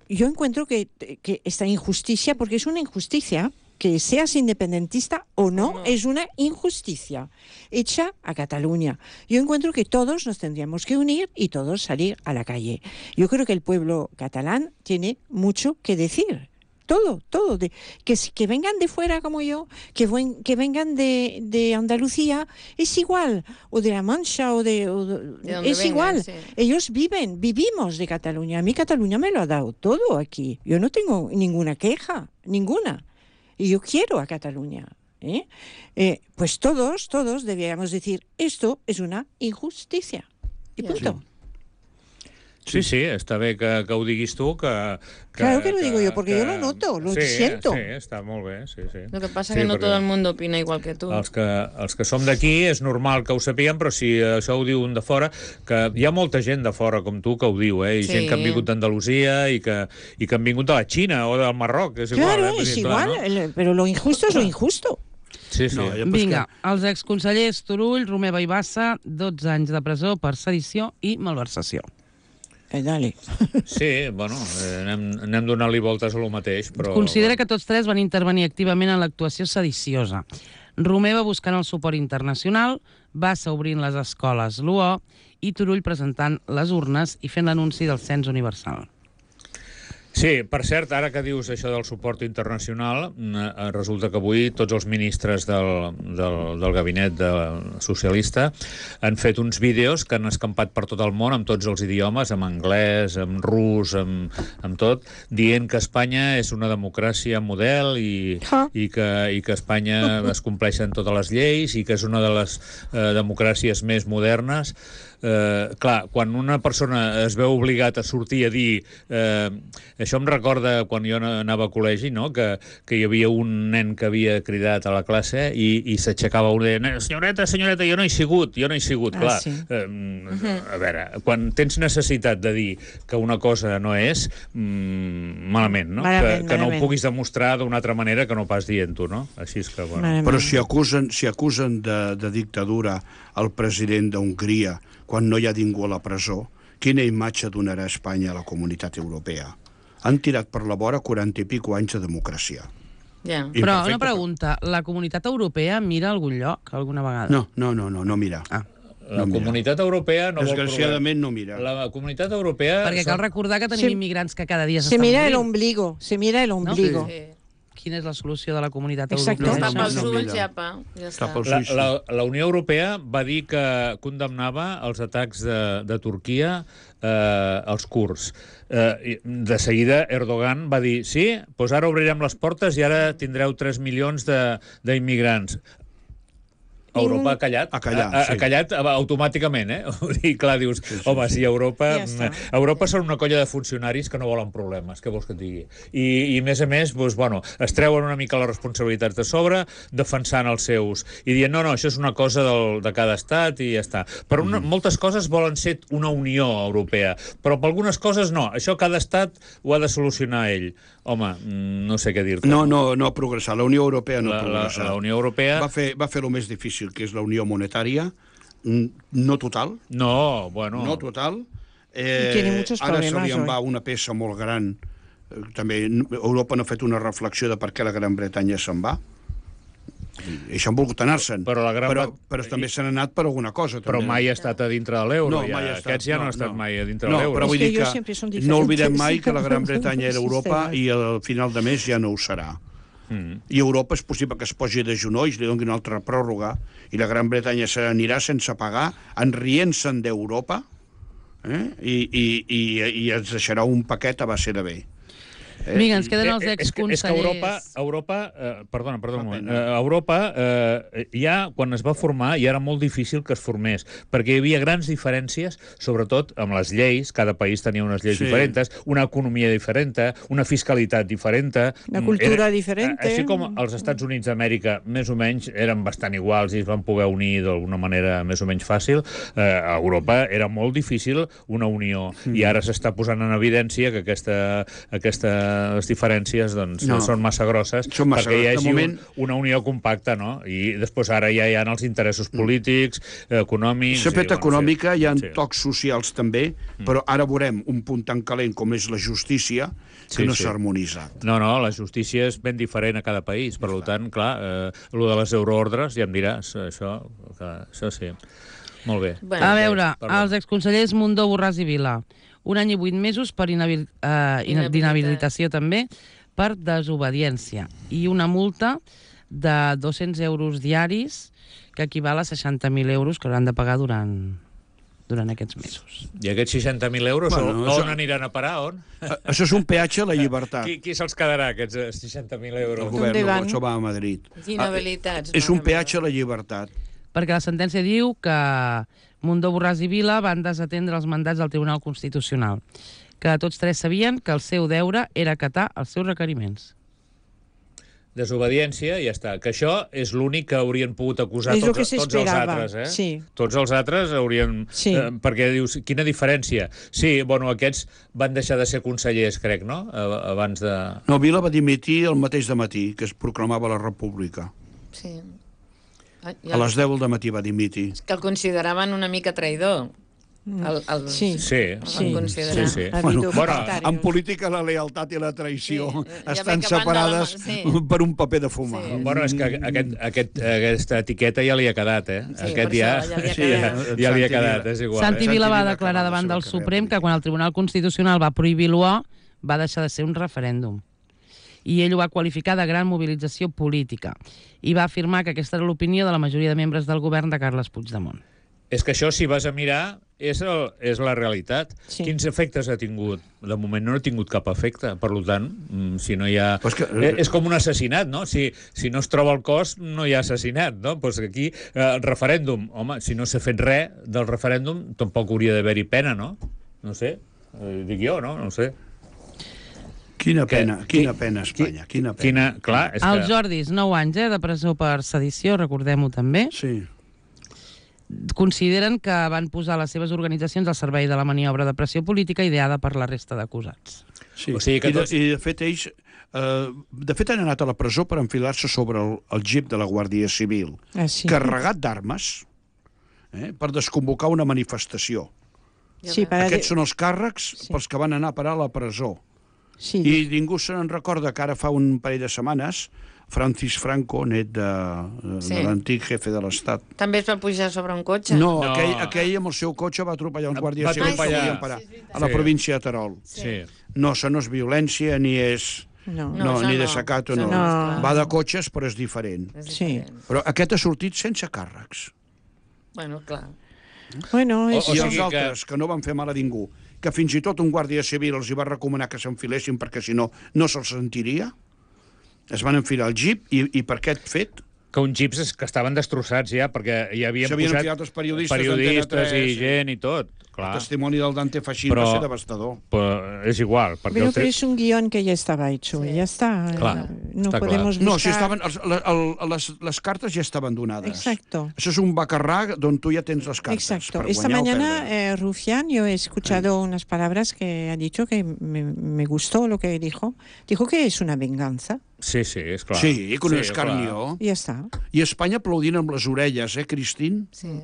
yo encuentro que, que esta injusticia, porque es una injusticia, que seas independentista o no, No. es una injusticia hecha a Cataluña. Yo encuentro que todos nos tendríamos que unir y todos salir a la calle. Yo creo que el pueblo catalán tiene mucho que decir. Todo, todo. De, que, si- que vengan de fuera como yo, que, buen- que vengan de, de Andalucía, es igual. O de La Mancha, o de... o de- De donde es vengan, igual. sí. Ellos viven, vivimos de Cataluña. A mí Cataluña me lo ha dado todo aquí. Yo no tengo ninguna queja, ninguna. Y yo quiero a Cataluña. ¿eh? Eh, pues todos, todos deberíamos decir, esto es una injusticia. Y Ya. punto. Sí, sí, està bé que, que ho diguis tu, que... que Claro que lo digo yo, porque yo lo noto, lo sí, siento. Sí, està molt bé, sí, sí. Lo que pasa Sí, que no perquè todo el mundo opina igual que tú. Els que, els que som d'aquí és normal que ho sapiguem, però si això ho diu un de fora, que hi ha molta gent de fora com tu que ho diu, eh? I Sí. gent que han vingut d'Andalusia i, que, i que han vingut de la Xina o del Marroc, és igual. Claro, eh? Vull es dir, clar, igual, no? el- pero lo injusto es lo injusto. Sí, sí. No, ja- Vinga, els exconsellers Turull, Romeva i Bassa, dotze anys de presó per sedició i malversació. Eh, dale. Sí, bueno, eh, anem, anem donant-li voltes a lo mateix, però... Considera que tots tres van intervenir activament en l'actuació sediciosa. Romeva buscant el suport internacional, Bassa obrint les escoles l'U O i Turull presentant les urnes i fent l'anunci del cens universal. Sí, per cert, ara que dius això del suport internacional, eh, resulta que avui tots els ministres del, del, del gabinet de socialista han fet uns vídeos que han escampat per tot el món, amb tots els idiomes, amb anglès, amb rus, amb, amb tot, dient que Espanya és una democràcia model i, Ah. i, que, i que a Espanya es compleixen totes les lleis i que és una de les eh, democràcies més modernes. eh, clar, quan una persona es veu obligat a sortir a dir... Eh, això em recorda quan jo anava a col·legi, no? que, que hi havia un nen que havia cridat a la classe i, i s'aixecava un i deia, senyoreta, senyoreta, jo no he sigut, jo no he sigut. Ah, clar, sí. eh, a veure, quan tens necessitat de dir que una cosa no és, mmm, malament, no? Malament, que, que no ho malament. puguis demostrar d'una altra manera que no pas dient-ho, no? Així és que, bueno... Malament. Però si acusen, si acusen de, de dictadura el president d'Hongria quan no hi ha ningú a la presó, quina imatge donarà Espanya a la comunitat europea? Han tirat per la vora quaranta i pico anys de democràcia. Ja. I Però perfecte, una pregunta, la comunitat europea mira a algun lloc alguna vegada? No, no, no, no, no mira. Ah. La No mira. comunitat europea no vol Desgraciadament no mira. provar. La comunitat europea... Perquè cal recordar que tenim Sí. immigrants que cada dia Se s'estan mira el morint. ombligo, se mira el ombligo. Sí. Quina és la solució de la comunitat Exacte. europea? Està no, pels no, ulls, mira. ja, pa. Ja Està està. pels La, ulls, sí. la, la Unió Europea va dir que condemnava els atacs de, de Turquia eh, als kurds. Eh, de seguida Erdogan va dir sí, doncs ara obrirem les portes i ara tindreu tres milions de- d'immigrants. Europa ha callat, Ha callat, ha, ha sí. callat automàticament, eh? Vull dir, clar, dius, sí, sí, home, si Europa... Ja està. Europa són una colla de funcionaris que no volen problemes, què vols que et digui? I, i a més a més, doncs, bueno, es treuen una mica les responsabilitats de sobre, defensant els seus, i dient, no, no, això és una cosa del, de cada estat i ja està. Però una, moltes coses volen ser una unió europea, però per algunes coses no, això cada estat ho ha de solucionar ell. Home, no sé què dir-te. No, no, no ha progressat. La Unió Europea no La, ha la, progressat. la Unió Europea... Va fer, va fer el més difícil, que és la unió monetària, mm, no total, No, bueno... no total. Y tiene muchos ara se problemas li en va hoy. una peça molt gran. Eh, També Europa no ha fet una reflexió de per què la Gran Bretanya se'n va. I això han volgut anar-se'n. Però la Gran però, Bre- però també s'han anat per alguna cosa. Però també. mai ha estat a dintre de l'euro. No, ja. mai ha estat. Aquests ja no, no han estat no. mai a dintre no, de l'euro. però vull És que dir jo que sempre són no diferents. oblidem mai que la Gran Bretanya era Europa Sistemes. i al final de mes ja no ho serà. Mm. I Europa és possible que es posi de genolls, li doni una altra pròrroga, i la Gran Bretanya se n'anirà sense pagar, enrient-se'n d'Europa, eh? I, i, i, i ens deixarà un paquet a base de bé. Eh? Vinga, ens queden els Eh, eh, és que, exconsellers. és que Europa, Europa eh, perdona, perdona un Fa moment, pena. eh, Europa eh, ja, quan es va formar, ja era molt difícil que es formés, perquè hi havia grans diferències, sobretot amb les lleis, cada país tenia unes lleis Sí. diferents, una economia diferent, una fiscalitat diferent. Una cultura diferente. Així com els Estats Units d'Amèrica, més o menys, eren bastant iguals i es van poder unir d'alguna manera més o menys fàcil, eh, a Europa era molt difícil una unió, Mm. i ara s'està posant en evidència que aquesta, aquesta les diferències doncs, No. són massa grosses Són massa perquè hi grosses. De hagi moment- un, una unió compacta, no? I després ara ja hi ha els interessos polítics, econòmics... S'ha fet i, bueno, econòmica, sí, hi ha sí. tocs socials també, però ara veurem un punt tan calent com és la justícia que Sí, no sí. s'ha harmonitzat. No, no, la justícia és ben diferent a cada país, per tant, clar, eh, el de les euroordres, ja em diràs, això, que, això sí. Molt bé. Bueno, A veure, Parlem. els exconsellers Mundó, Borràs i Vila. Un any i vuit mesos per inabil, eh, ina- Inhabilitat. d'inhabilitació també per desobediència. I una multa de dos-cents euros diaris que equival a seixanta mil euros que hauran de pagar durant, durant aquests mesos. I aquests seixanta mil euros, Bueno, on, això- on aniran a parar? On? A- Això és un peatge a la llibertat. Qui, qui se'ls quedarà, aquests eh, seixanta mil El euros? govern no van? pot, això va a Madrid. Inhabilitats. Ah, és un peatge a la llibertat. Perquè la sentència diu que Mundó, Borràs i Vila van desatendre els mandats del Tribunal Constitucional, que tots tres sabien que el seu deure era acatar els seus requeriments. Desobediència, ja està. Que això és l'únic que haurien pogut acusar És el tots, que tots els s'esperava, altres, eh? sí. Tots els altres haurien... Sí. Eh, perquè dius, quina diferència? Sí, bueno, aquests van deixar de ser consellers, crec, no? A- Abans de... No, Vila va dimitir el mateix de matí, que es proclamava la República. Sí. Ah, A les deu del matí va dimitir. Que el consideraven una mica traïdor. El, el... Sí. Sí, Sí, considerar. sí, sí. Ha Bueno, habido bueno, comentarios. En política la lealtat i la traïció Sí, ja estan ve que van de la separades mà, sí. per un paper de fumar. Sí. Bueno, és que aquest, aquest, aquesta etiqueta ja li ha quedat, eh? Sí, aquest per ja, això ja li ha sí, ja, quedat. ja li ha Santi quedat, Vila. és igual. Santi eh? Vila va Vila declarar acaba davant la del seva Suprem carrera que quan el Tribunal Constitucional va prohibir l'U O va deixar de ser un referèndum. I ell ho va qualificar de gran mobilització política. I va afirmar que aquesta era l'opinió de la majoria de membres del govern de Carles Puigdemont. és que això, si vas a mirar, és, el, és la realitat. Sí. Quins efectes ha tingut? De moment no ha tingut cap efecte. Per tant, si no hi ha... Pues que... És com un assassinat, no? Si, si no es troba el cos, no hi ha assassinat, no? Pues aquí, eh, el referèndum, home, si no s'ha fet res del referèndum, tampoc hauria d'haver-hi pena, no? No sé, eh, dic jo, no? No sé. Quina pena, que, quina pena, Espanya, quina pena. Quina, clar, és El que... Jordis, nou anys eh, de presó per sedició, recordem-ho també. Sí. Consideren que van posar les seves organitzacions al servei de la maniobra de pressió política ideada per la resta d'acusats. Sí. O sigui que I, de, tots- I de fet ells eh, de fet han anat a la presó per enfilar-se sobre el, el jeep de la Guàrdia Civil, Ah, sí. carregat d'armes, eh, per desconvocar una manifestació. Sí, para Aquests són els càrrecs Sí. pels que van anar a parar a la presó. sí. I ningú se n'en recorda que ara fa un parell de setmanes Francis Franco, net de, de, Sí. de l'antic jefe de l'Estat. També es va pujar sobre un cotxe? No, No. Aquell, aquell amb el seu cotxe va atropellar uns guàrdies Va civils que atropellar. volien parar Sí, és veritat. a la Sí. província de Terol. Sí. No, això no és violència ni és... No. No, No, això ni no. desacato, Això no. no, esclar. Va de cotxes, però és diferent. És Sí. diferent. Però aquest ha sortit sense càrrecs. Bueno, clar. Bueno, O- eso... I sigui els que- altres, que no van fer mal a ningú, que fins i tot un guàrdia civil els hi va recomanar que s'enfilessin perquè si no, no se'ls sentiria, es van enfilar al jeep i, i per aquest fet Que uns jeeps es- que estaven destrossats ja, perquè hi havien s'havien posat enfilat els periodistes periodistes d'Antena tres, i gent i tot. el Clar, testimoni del Dante Fachin Però- va ser devastador. però és igual. Perquè Pero, el pero tre- es un guión que ya estaba hecho, Sí. ya está. Claro, no está podemos No, buscar... si estaven, els, el, el, les, les cartes ja estaven donades. Exacto. Això és un bacarrà d'on tu ja tens les cartes. Exacto. per Esta guanyar o mañana perdre. eh, Rufián, yo he escuchado unas palabras que ha dicho que me, me gustó lo que dijo. Dijo que es una venganza. Sí, sí, és clar. Sí, que un Sí, escarnió. Y ya está. I Espanya aplaudint amb les orelles, eh, Cristín? Sí.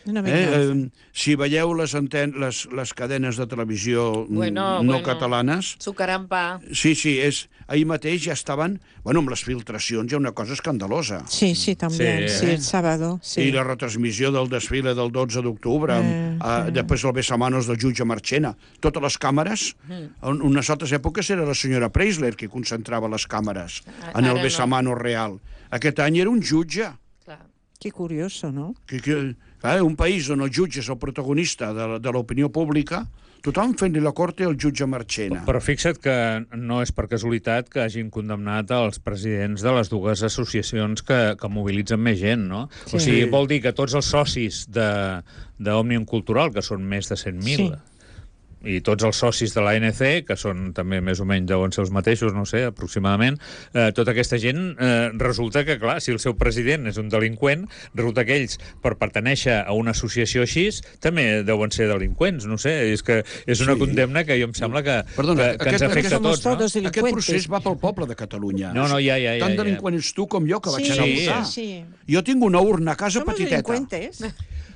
Una Eh, venganza. eh, si veieu les, anten les, les cadenes de televisió mm, Bueno, no bueno. catalanes, Sucarant pa. sí, sí, és, ahir mateix ja estaven, bueno, amb les filtracions hi ha una cosa escandalosa. Sí, sí, también. Sí, Sí, eh? el sábado. Sí. I la retransmissió del desfile del dotze d'octubre, Eh, eh, eh. després el besamanos del jutge Marchena. Totes les càmeres, en unes altres èpoques era la senyora Preisler qui concentrava les càmeres Ara en el no. besamanos real. Aquest any era un jutge. Clar. Qué curioso, ¿no? Que, que, clar, un país on el jutge és el protagonista de, la- de l'opinió pública, tothom fent-li la corte al jutge Marchena. Però fixa't que no és per casualitat que hagin condemnat els presidents de les dues associacions que, que mobilitzen més gent, no? Sí. O sigui, vol dir que tots els socis de- d'Òmnium Cultural, que són més de cent mil, Sí. i tots els socis de l'A N C, que són també més o menys deuen ser els mateixos, no sé, aproximadament, eh, tota aquesta gent, eh, resulta que, clar, si el seu president és un delinqüent, resulta que ells, per pertenèixer a una associació així, també deuen ser delinqüents, no sé, és que és una Sí. condemna que jo em sembla que, Perdona, que, que aquest- ens afecta a somos tots, no? todos Aquest delincuentes. procés va pel poble de Catalunya. No, no, ja, ja, ja, Tan ja. delinqüent ets tu com jo, que vaig Sí, anar a sí, votar. sí. Jo tinc una urna a casa Somos petiteta. delincuentes.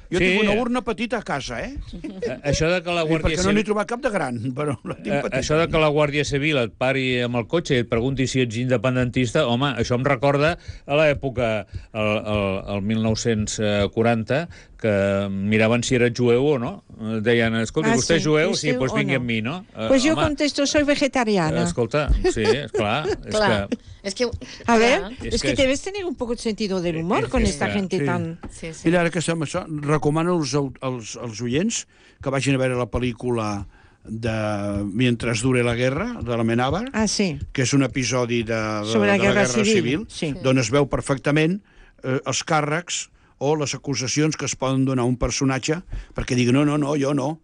Jo Sí. tinc una urna petita a casa, eh? Eh, Això de que la I Guàrdia perquè no n'he Civil... trobat cap de gran, però la tinc Eh, petita. això de que la Guàrdia Civil et pari amb el cotxe i et pregunti si ets independentista, home, això em recorda a l'època, el, el, el mil nou-cents quaranta, que miraven si eres jueu o no. Eh, Deien, escolta, Ah, vostè sí, és jueu? vostè Sí, doncs o vingui no. amb mi, no? Eh, Pues yo home, contesto, soy vegetariana. Escolta, sí, esclar. És Clar. que... És que... A ver, clar. Es es que que es- debes tener un poco de sentido del humor es- con es esta que- gente sí. tan... Sí, sí. Mira, ara que estem això, recomano als, als, als oients que vagin a veure la pel·lícula de Mientras dure la guerra, de la Menábar, Ah, sí. que és un episodi de, de, Sobre la de la guerra Guerra Civil, Civil, sí. d'on es veu perfectament eh, els càrrecs o les acusacions que es poden donar a un personatge perquè digui, no, no, no, jo no.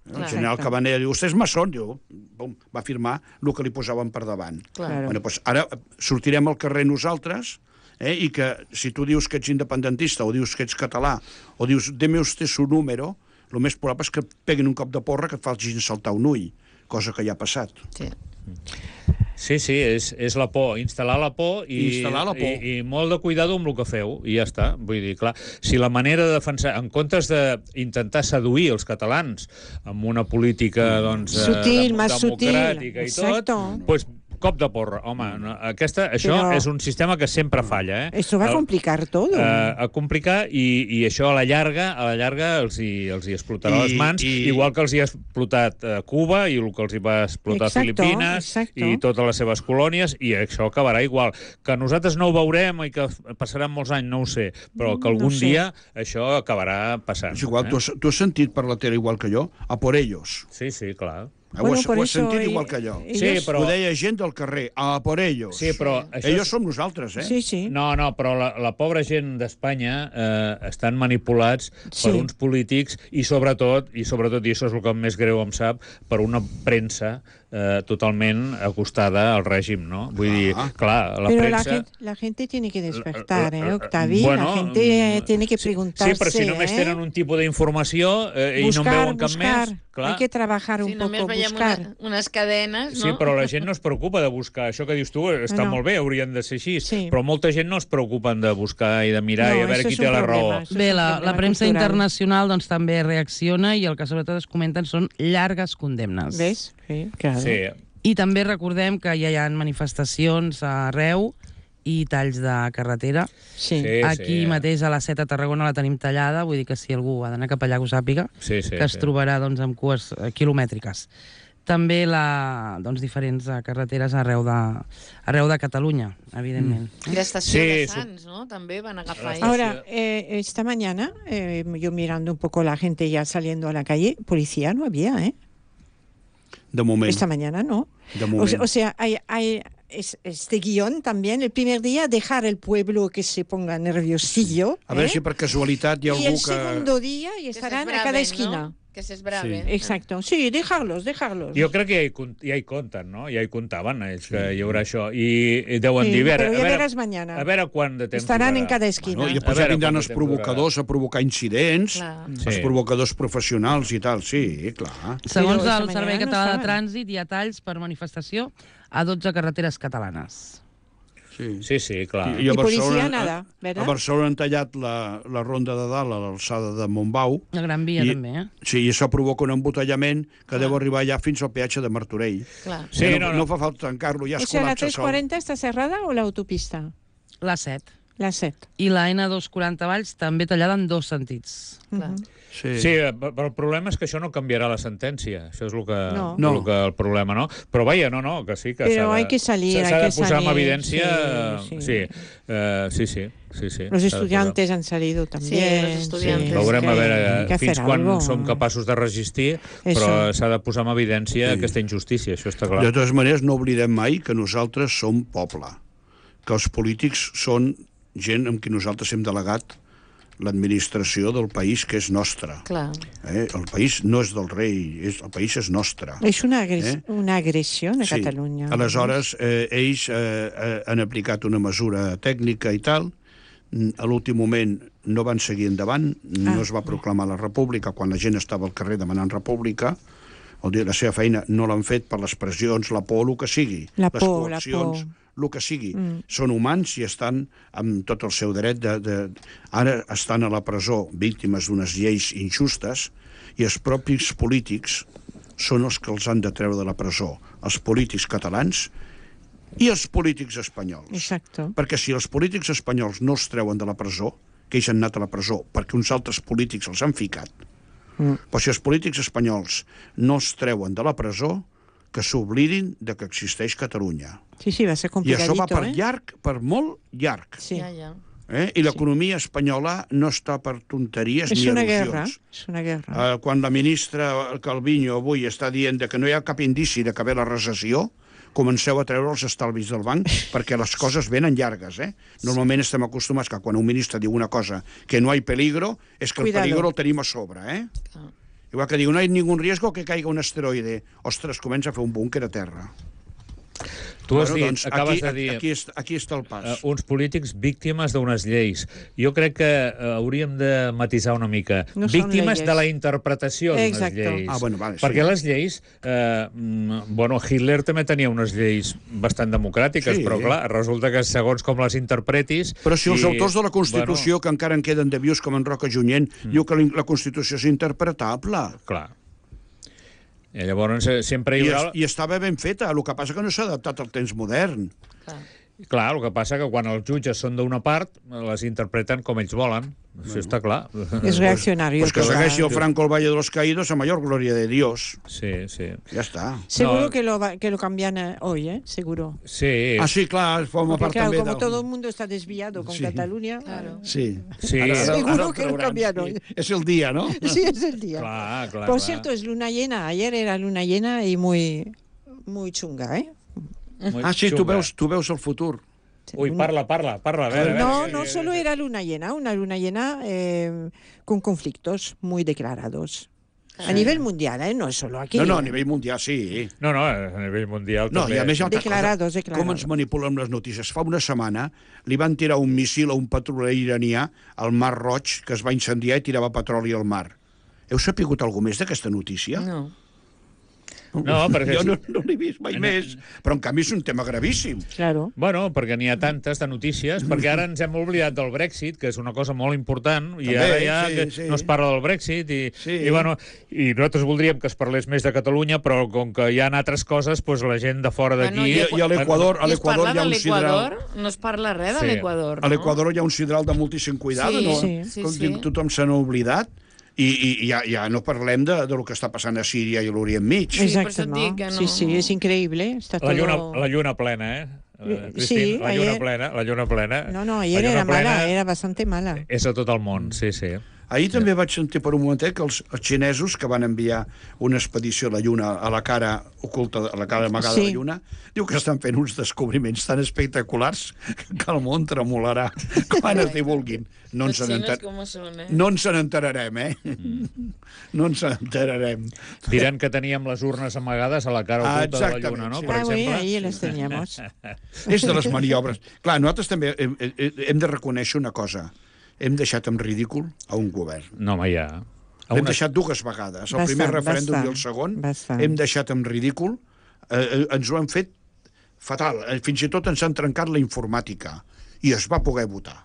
El Clar. general Exacte. Cabanella diu, vostè és maçon, diu, bum, va afirmar el que li posaven per davant. Clar. Bueno, doncs ara sortirem al carrer nosaltres, eh, i que si tu dius que ets independentista o dius que ets català o dius, deme usted su número, el més probable és que et peguin un cop de porra que et facin saltar un ull, cosa que ja ha passat. Sí. Sí, sí, és, és la por, instal·lar la por i, Instal·lar la por. i, i molt de cuidado amb el que feu, i ja està. Vull dir, clar, si la manera de defensar, en comptes d'intentar seduir els catalans amb una política doncs, eh, Sutil, dem- más sutil. democràtica i tot, Exacto. pues, cop de porra. Home, no, aquesta, això Però... és un sistema que sempre falla. Eh? Esto va a complicar todo. Uh, a complicar i, i això a la llarga a la llarga els hi, els hi explotarà I, les mans, i... igual que els hi ha explotat uh, Cuba i el que els hi va explotar Exacto, Filipines exacto. i totes les seves colònies, i això acabarà igual. Que nosaltres no ho veurem i que passaran molts anys, no ho sé, però que algun No sé. dia això acabarà passant. És igual, eh? tu has, tu has sentit per la tele igual que jo, a por ellos. Sí, sí, clar. Eh, Bueno, ho has, por ho has eso, sentit eh, igual que jo. ellos- Sí, però... Ho deia gent del carrer, a por ellos. Sí, però això Ellos és... som nosaltres, eh? Sí, sí. No, no, però la, la pobra gent d'Espanya eh, estan manipulats Sí. per uns polítics i sobretot, i sobretot, i això és el que més greu em sap, per una premsa eh, totalment acostada al règim, no? Vull dir, Ah. clar, la Pero la premsa... gente, la gente tiene que despertar, Eh, ¿eh, eh, Octavi? bueno, la gente eh, mm, tiene que sí, preguntarse. Sí, però si només ¿eh? tenen un tipus d'informació eh, i no en buscar, veuen cap buscar. més... Clar. Hay que trabajar un Si només poco, veiem buscar. una, unes cadenes, no? Sí, però la gent no es preocupa de buscar. Això que dius tu està No, no. molt bé, haurien de ser així, Sí. però molta gent no es preocupen de buscar i de mirar No, i a veure eso qui es té un la problema, raó. eso es Bé, un la, problema la premsa cultural. internacional doncs, també reacciona i el que sobretot es comenten són llargues condemnes. ¿Ves? Sí, claro. Sí, I també recordem que ja hi ha manifestacions arreu i talls de carretera. Sí. sí, Aquí sí. mateix a la set a Tarragona la tenim tallada, vull dir que si algú ha d'anar cap allà que ho sàpiga, Sí, sí, que es sí. trobarà doncs, amb cues eh, quilomètriques. També la, doncs, diferents eh, carreteres arreu de, arreu de Catalunya, evidentment. I l'estació Sí, de su- Sants, ¿no? També van agafar ahí. Ahora, eh, esta mañana, eh, yo mirando un poco la gente ya saliendo a la calle, policía no había, ¿eh? De moment. Esta mañana no. De O, moment. se- o sea, hay, hay es- este guión también, el primer día, dejar el pueblo que se ponga nerviosillo. A veure ¿eh? si per casualitat hi ha Y algú el que... segundo día y Que estarán a s'esbraven, cada esquina. No? Que s'esbraven. Exacto. Sí, dejarlos, dejarlos. Jo crec que ja hi, con- ja hi compten, no? Ja hi comptaven, ells, que hi haurà això. I, i deuen Sí, dir, a veure, pero ya a veure, verás mañana. a veure quant de temps Estarán en durarà. cada esquina. No, I A després ja veure, vindran quant els de temps provocadors a provocar incidents, Clar. Sí. els provocadors professionals i tal, sí, clar. Segons Però el esta Servei mañana no Català de estaven. Trànsit, hi ha talls per manifestació a dotze carreteres catalanes. Sí. Sí, sí, clar. I, a I policia Barcelona, nada, a, ¿verdad? a Barcelona han tallat la, la ronda de dalt a l'alçada de Montbau. La Gran Via, I- també, eh? Sí, i això provoca un embotellament que deu arribar ja fins al peatge de Martorell. Clar. Sí, Eh, no, no, no. no fa falta tancar-lo, ja O es sea, la col·lapsa tres sol. cuarenta está cerrada o la autopista? La set. La set. I la ena dos quaranta Valls també tallada en dos sentits. Clar. Ujú. Sí. Sí, eh, però el problema és que això no canviarà la sentència. Això és el que, No. No. el, que el problema, no? Però vaja, no, no, que sí que Però s'ha de, hay que salir, s'ha hay de que posar en salir, evidència... sí, sí. Sí, eh, sí, sí, sí, sí. Los s'ha de estudiantes han salido también. los estudiantes. sí, Veurem es a que veure hay que fins hacer quan algo. som capaços de resistir, Eso. però s'ha de posar en evidència Sí. aquesta injustícia, això està clar. De totes maneres, no oblidem mai que nosaltres som poble, que els polítics són gent amb qui nosaltres hem delegat l'administració del país, que és nostre. Clar. Eh? El país no és del rei, és, el país és nostre. Es una, agres Eh? una agresión a Sí. Cataluña. Aleshores, eh, ells eh, eh, han aplicat una mesura tècnica i tal. Mm, A l'últim moment no van seguir endavant, no Ah. es va proclamar la república quan la gent estava al carrer demanant república. Vol dir, la seva feina no l'han fet per les pressions, la por, el que sigui. La les por, la coaccions, por. el que sigui. Mm. Són humans i estan amb tot el seu dret de, de... Ara estan a la presó víctimes d'unes lleis injustes i els propis polítics són els que els han de treure de la presó. Els polítics catalans i els polítics espanyols. Exacto. Perquè si els polítics espanyols no els treuen de la presó, que ells han anat a la presó perquè uns altres polítics els han ficat, Mm. però si els polítics espanyols no els treuen de la presó, que s'oblidin de que existeix Catalunya. Sí, sí, va a ser I complicadito, això va per ¿eh? llarg, per molt llarg. Sí. Ja, ja. Eh? I l'economia espanyola no està per tonteries Es ni una al·lusions. guerra, es una guerra. Eh, quan la ministra Calviño avui està dient de que no hi ha cap indici de que ve la recessió, comenceu a treure els estalvis del banc perquè les coses venen llargues. Eh? Normalment estem acostumats que quan un ministre diu una cosa que no hi peligro, és que Cuidado. el peligro el tenim a sobre. Eh? Clar. Igual que diu, no hi ha ningú riesgo que caiga un asteroide. Ostres, comença a fer un búnquer a terra. Tu has Bueno, dit, doncs, acabes aquí, de dir... Aquí, està, aquí està el pas. Uh, uns polítics víctimes d'unes lleis. Jo crec que uh, hauríem de matisar una mica. No són víctimes leyes. de la interpretació d'unes Exacto. lleis. Ah, bueno, vale, sí. Perquè les lleis... Uh, mm, bueno, Hitler també tenia unes lleis bastant democràtiques, Sí. però clar, resulta que segons com les interpretis... Però si els i, autors de la Constitució, que encara en queden de vius, com en Roca Junyent, Mm. diu que la la Constitució és interpretable. Clar. I llavors eh, sempre hi I, haurà... es, I estava ben feta, el que passa que no s'ha adaptat al temps modern. Clar. Clar, el que passa que quan els jutges són d'una part, les interpreten com ells volen. Això està clar. És reaccionari. Pues que segueixi el Franco el Valle de los Caídos a mayor gloria de Dios. Sí, sí. Ja està. Seguro No. que, lo va, que lo cambian eh, hoy, ¿eh? Seguro. Sí, Ah, sí, clar, forma Porque part claro, també como del... todo el mundo está desviado con Sí. Cataluña... Claro. Sí. Sí. Seguro que lo trauran, cambian sí. hoy. És el dia, no? Sí, es el día. clar, clar. Por clar. cierto, es luna llena. Ayer era luna llena y muy, muy chunga, ¿eh? Muy Ah, sí, tu xunga. veus, tu veus el futur. Ui, parla, parla, parla. A veure, a veure, No, que- no solo era luna llena, una luna llena eh, con conflictos muy declarados. A nivel mundial, ¿eh? No es solo aquí. No, no, a nivell mundial sí. No, no, a nivell mundial No, també. i a més hi ha altra Declarados, cosa. declarados. Com ens manipulen les notícies? Fa una setmana li van tirar un missil a un petroler iranià al Mar Roig que es va incendiar i tirava petroli al mar. Heu sapigut alguna més d'aquesta notícia? No. No, perquè... Jo no, no l'he vist mai No. més, però en canvi és un tema gravíssim. Claro. Bueno, perquè n'hi ha tantes de notícies, perquè ara ens hem oblidat del Brexit, que és una cosa molt important, i També, ara ja sí, que sí. no es parla del Brexit, i, Sí. i, bueno, i nosaltres voldríem que es parlés més de Catalunya, però com que hi ha altres coses, doncs la gent de fora d'aquí... Bueno, I, i a l'Equador a I es l'Equador parla hi ha de un sidral... l'Equador? No es parla res de Sí. l'Equador, no? A l'Equador hi ha un sidral de moltíssim cuidado, Sí, no? sí, sí, Com sí. tothom se n'ha oblidat. I, i, i ja, ja no parlem de, de lo que està passant a Síria i a l'Orient Mig. Sí, per Exacto, eso ¿no? dic que no- Sí, sí, es increíble. Está La lluna, todo... la lluna plena, eh? Eh, Eh, Cristín, sí, la lluna ayer- plena, la lluna plena. No, no, La ayer lluna era mala, plena era bastante mala. És a tot el món, sí, sí. Ahir també vaig sentir per un momentet que els, els xinesos que van enviar una expedició a la Lluna, a la cara oculta, a la cara amagada Sí. de la Lluna, diu que estan fent uns descobriments tan espectaculars que el món tremolarà quan es divulguin. No ens Los chinos n'enter- com són, eh? no ens n'enterarem, eh? No ens n'enterarem. Diran que teníem les urnes amagades a la cara Ah, oculta de la exactament, lluna, no? sí. Per Ah, oui, exemple. ahí les teníamos. És de les maniobres. Clar, nosaltres també hem, hem de reconèixer una cosa. Hem deixat en ridícul a un govern. No, home, ja. A L'hem una- deixat dues vegades, el Bastant, primer referèndum bastant, i el segon. bastant. Hem deixat en ridícul, eh, eh, ens ho han fet fatal. Eh, Fins i tot ens han trencat la informàtica i es va poder votar.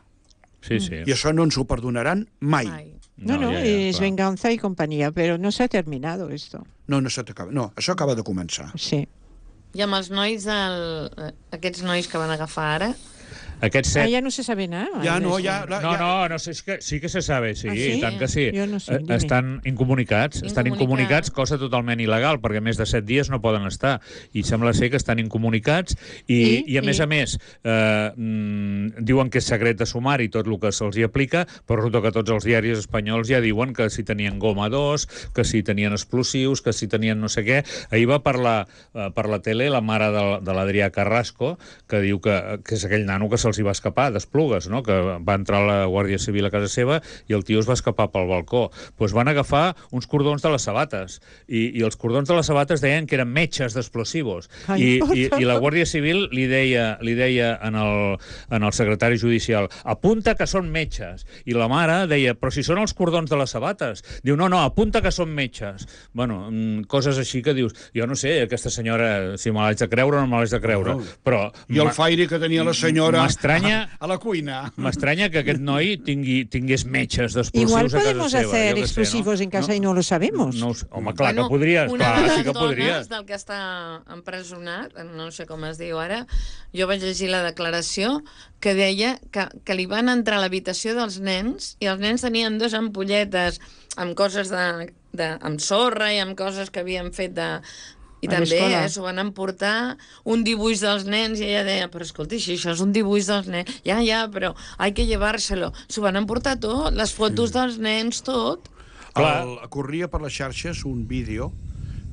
Sí, sí. I això no ens ho perdonaran mai. Ai. No, no, ja, ja, es clar. venganza y compañía, pero no se ha terminado esto. No, no, s'acaba. No, això acaba de començar. Sí. I amb els nois, del... aquests nois que van agafar ara, Aquests Ah, set... ya no se sabe nada. Ja no, de ja... eso. La, No, ja... no, no sé, és que sí que se sabe, sí, Ah, sí? i tant que sí. Jo no sé, Eh, dime. Estan incomunicats, estan Incomunicats. incomunicats, cosa totalment il·legal, perquè més de set dies no poden estar. I sembla ser que estan incomunicats i, I? i a més I? a més, eh, mm, diuen que és secret de sumari tot el que se'ls hi aplica, però resulta que tots els diaris espanyols ja diuen que si tenien goma dos, que si tenien explosius, que si tenien no sé què. Ahir va parlar eh, per la tele la mare de, de l'Adrià Carrasco, que diu que, que és aquell nano que se'ls hi va escapar d'Esplugues, no? Que va entrar la Guàrdia Civil a casa seva i el tio es va escapar pel balcó. Pues van agafar uns cordons de les sabates i, i els cordons de les sabates deien que eren metges d'explosivos. Ai, I, por i, I la favor. Guàrdia Civil li deia, li deia en, el, en el secretari judicial apunta que són metges. I la mare deia, però si són els cordons de les sabates. Diu, no, no, apunta que són metges. Bueno, mm, coses així que dius, jo no sé, aquesta senyora, si me l'haig de creure o no me l'haig de creure, No. però... I el ma- faire que tenia la senyora M'estranya- a, a la cuina. M'estranya que aquest noi tingui, tingués metges d'explosius Igual a casa podemos seva. hacer jo què sé, explosivos no? en casa y no lo sabemos. No, ho sé. Home, clar Bueno, que podries, una clar, de sí les que dones podries. del que està empresonat, no sé com es diu ara, jo vaig llegir la declaració que deia que, que li van entrar a l'habitació dels nens i els nens tenien dues ampolletes amb coses de, de, amb sorra i amb coses que havien fet de... I A també l'escola. eh, s'ho van emportar un dibuix dels nens i ella deia, però escolti, si això és un dibuix dels nens, ja, ja, però hay que llevárselo. S'ho van emportar tot, les fotos dels nens, tot. Clar. El, corria per les xarxes un vídeo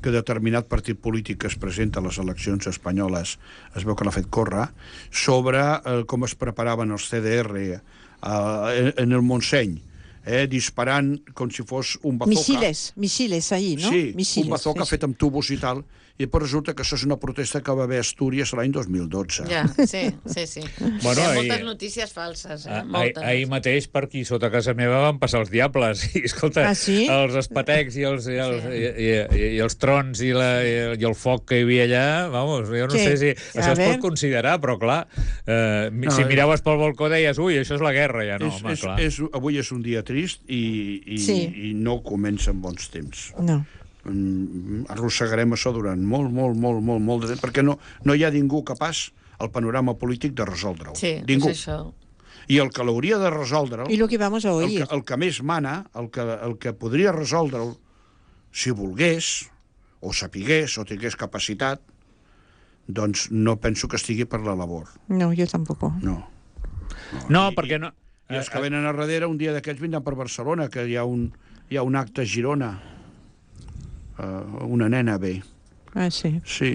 que determinat partit polític que es presenta a les eleccions espanyoles es veu que l'ha fet córrer, sobre eh, com es preparaven els C D R eh, en, en el Montseny, eh, disparant com si fos un bazooka. Misiles, misiles ahí, ¿no? Sí, misiles, un bazooka sí, sí. fet amb tubos i tal, i però resulta que això és una protesta que va haver a Astúries l'any dos mil dotze. Ja, sí, sí, sí. Bueno, Hi ha ahir- moltes notícies falses, eh? Ah, Ahir, Moltes. ahir mateix per aquí sota casa meva van passar els diables i escolta, Ah, sí? els espatecs i els, i els, Sí. i, i, i els trons i, la, i, el- i el foc que hi havia allà, vamos, jo no Què? sé si A això es ver. pot considerar, però clar, eh, No, si eh. miraves pel balcó deies, ui, això és la guerra, ja no, és, home, és, clar. és, avui és un dia trist i, i, Sí. i no comença en bons temps. No. arrossegarem això durant molt, molt, molt, molt, molt de temps, perquè no, no hi ha ningú capaç al panorama polític de resoldre-ho. Sí, ningú. és això. I el que l'hauria de resoldre-ho, Y lo que vamos a el, oír. que, el que més mana, el que, el que podria resoldre'l, si volgués, o sapigués, o tingués capacitat, doncs no penso que estigui per la labor. No, yo tampoco. No. No, I- perquè no... I els que venen a darrere, un dia d'aquests vindran per Barcelona, que hi ha un, hi ha un acte a Girona. Uh, una nena ve. Ah, sí. Sí.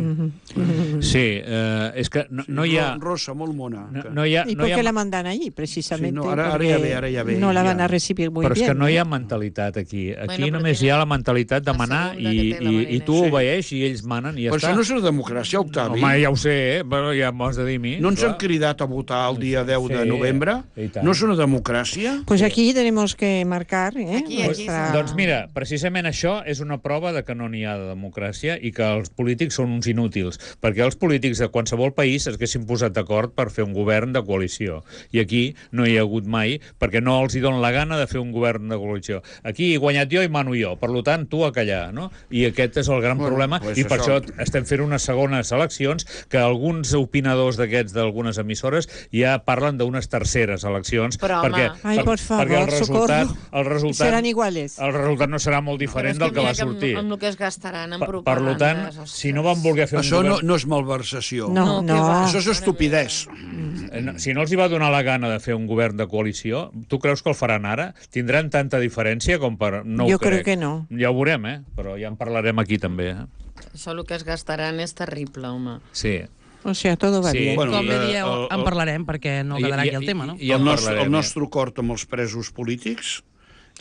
Sí, eh, és que no, no hi ha... Ro- Rosa, molt mona. No, que- no hi ha, ¿Y no por hi ha qué la mandan allí? Precisamente Sí, no, ara- ara porque ja ve, ara ja ve, no la ja. van a recibir muy Però és bien. que no hi ha ¿eh? mentalitat aquí. Aquí Bueno, però només tenen hi ha la mentalitat de la manar segunda i, que té la i, Marina. i tu Sí. obeeix i ells manen i ja Però està. això no és una democràcia, Octavi. Home, ja ho sé, eh? Però ja m'ho has de dir a mi. No ens clar. han cridat a votar el dia deu de Sí, novembre? i tant. No és una democràcia? Pues aquí tenemos que marcar ¿eh? Aquí, aquí, nuestra... Doncs mira, precisament això és una prova de que no n'hi ha de democràcia i que els polítics són uns inútils, perquè els polítics de qualsevol país es haguessin posat d'acord per fer un govern de coalició. I aquí no hi ha hagut mai, perquè no els hi dona la gana de fer un govern de coalició. Aquí he guanyat jo i mano jo, per tant, tu a callar, no? I aquest és el gran Bueno, problema, pues i per això- això estem fent unes segones eleccions que alguns opinadors d'aquests d'algunes emissores ja parlen d'unes terceres eleccions, Però, home. perquè, Ai, por favor, perquè el resultat, socorro. el resultat, Serán iguales. el resultat no serà molt diferent del que va sortir. Amb, amb el que es gastaran en Per, per propagandes. tant, si no van voler fer un Això no, govern... no és malversació. No, No, no. que va. Això és estupidesa. Eh, no, si no els hi va donar la gana de fer un govern de coalició, tu creus que el faran ara? Tindran tanta diferència com per... No Jo ho crec. crec que no. Ja ho veurem, eh? Però ja en parlarem aquí també. Eh? Això el que es gastaran és terrible, home. Sí. O sea, todo va Sí. bien. Bueno, Com bé eh, dieu, el- en el- parlarem, perquè no quedarà aquí el tema, no? I, i, el, en nostre, parlarem, el ja. nostre acord amb els presos polítics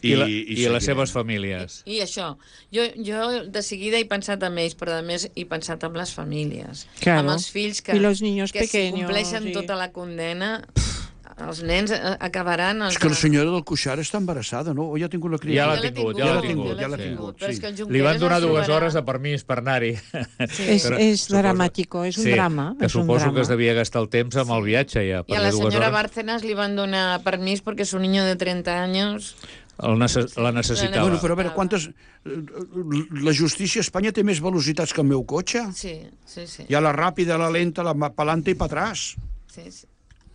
I, i, la, i, i, seguirem. les seves famílies. I això, jo, jo de seguida he pensat en ells, però a més he pensat en les famílies. Claro. Amb els fills que, I los niños que si pequeños, compleixen i- tota la condena, els nens eh, acabaran... Els És que la senyora del Cuixart està embarassada, no? O ja ha tingut la Ja criatura? l'ha tingut, ja l'ha tingut, ja l'ha sí. tingut, Però és sí. que el Li Junqueras van donar es dues trobarà- hores de permís per anar-hi. Sí. Es, Però es suposo- dramático, es un sí, drama. Que es un suposo drama. que es devia gastar el temps amb el viatge ja. I a perquè la dues senyora hores Bárcenas li van donar permís perquè su niño de treinta años... el necess la necessitava. Bueno, però a veure, quantes... eh, La justícia a Espanya té més velocitats que el meu cotxe. Sí, sí, sí. Hi ha la ràpida, la lenta, la ma- pa'lante i pa atrás. sí, sí.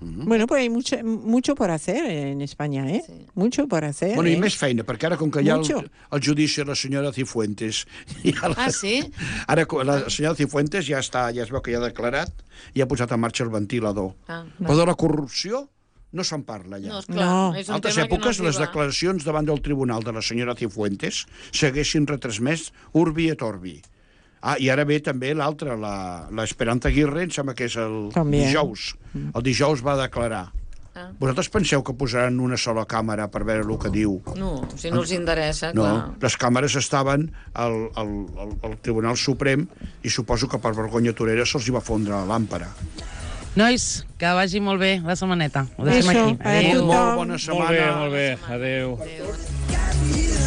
Bueno, pues hay mucho, mucho por hacer en España, ¿eh? Sí. Mucho por hacer. Bueno, i ¿eh? més feina, perquè ara, com que hi ha el, Mucho. el judici de la senyora Cifuentes... Ja la, Ah, sí? Ara la senyora Cifuentes ja està, ja es veu que ja ha declarat i ha posat en marxa el ventilador. Ah, Però de la corrupció no se'n parla ja. no, esclar, No. és En un altres tema èpoques, que no les els hi va. declaracions davant del tribunal de la senyora Cifuentes s'haguessin retransmès urbi et orbi. Ah, i ara ve també l'altra, la, la Esperanza Aguirre, em sembla que és el També. dijous. El dijous va declarar. Ah. Vosaltres penseu que posaran una sola càmera per veure el que diu? No, si no els interessa, No, clar. les càmeres estaven al, al, al, al Tribunal Suprem i suposo que per vergonya torera se'ls hi va fondre la làmpara. Nois, que vagi molt bé la setmaneta. Ho deixem Eso, aquí. a Adéu. tothom. Molt bona Molt setmana. bé, molt bé. Adéu. Adéu.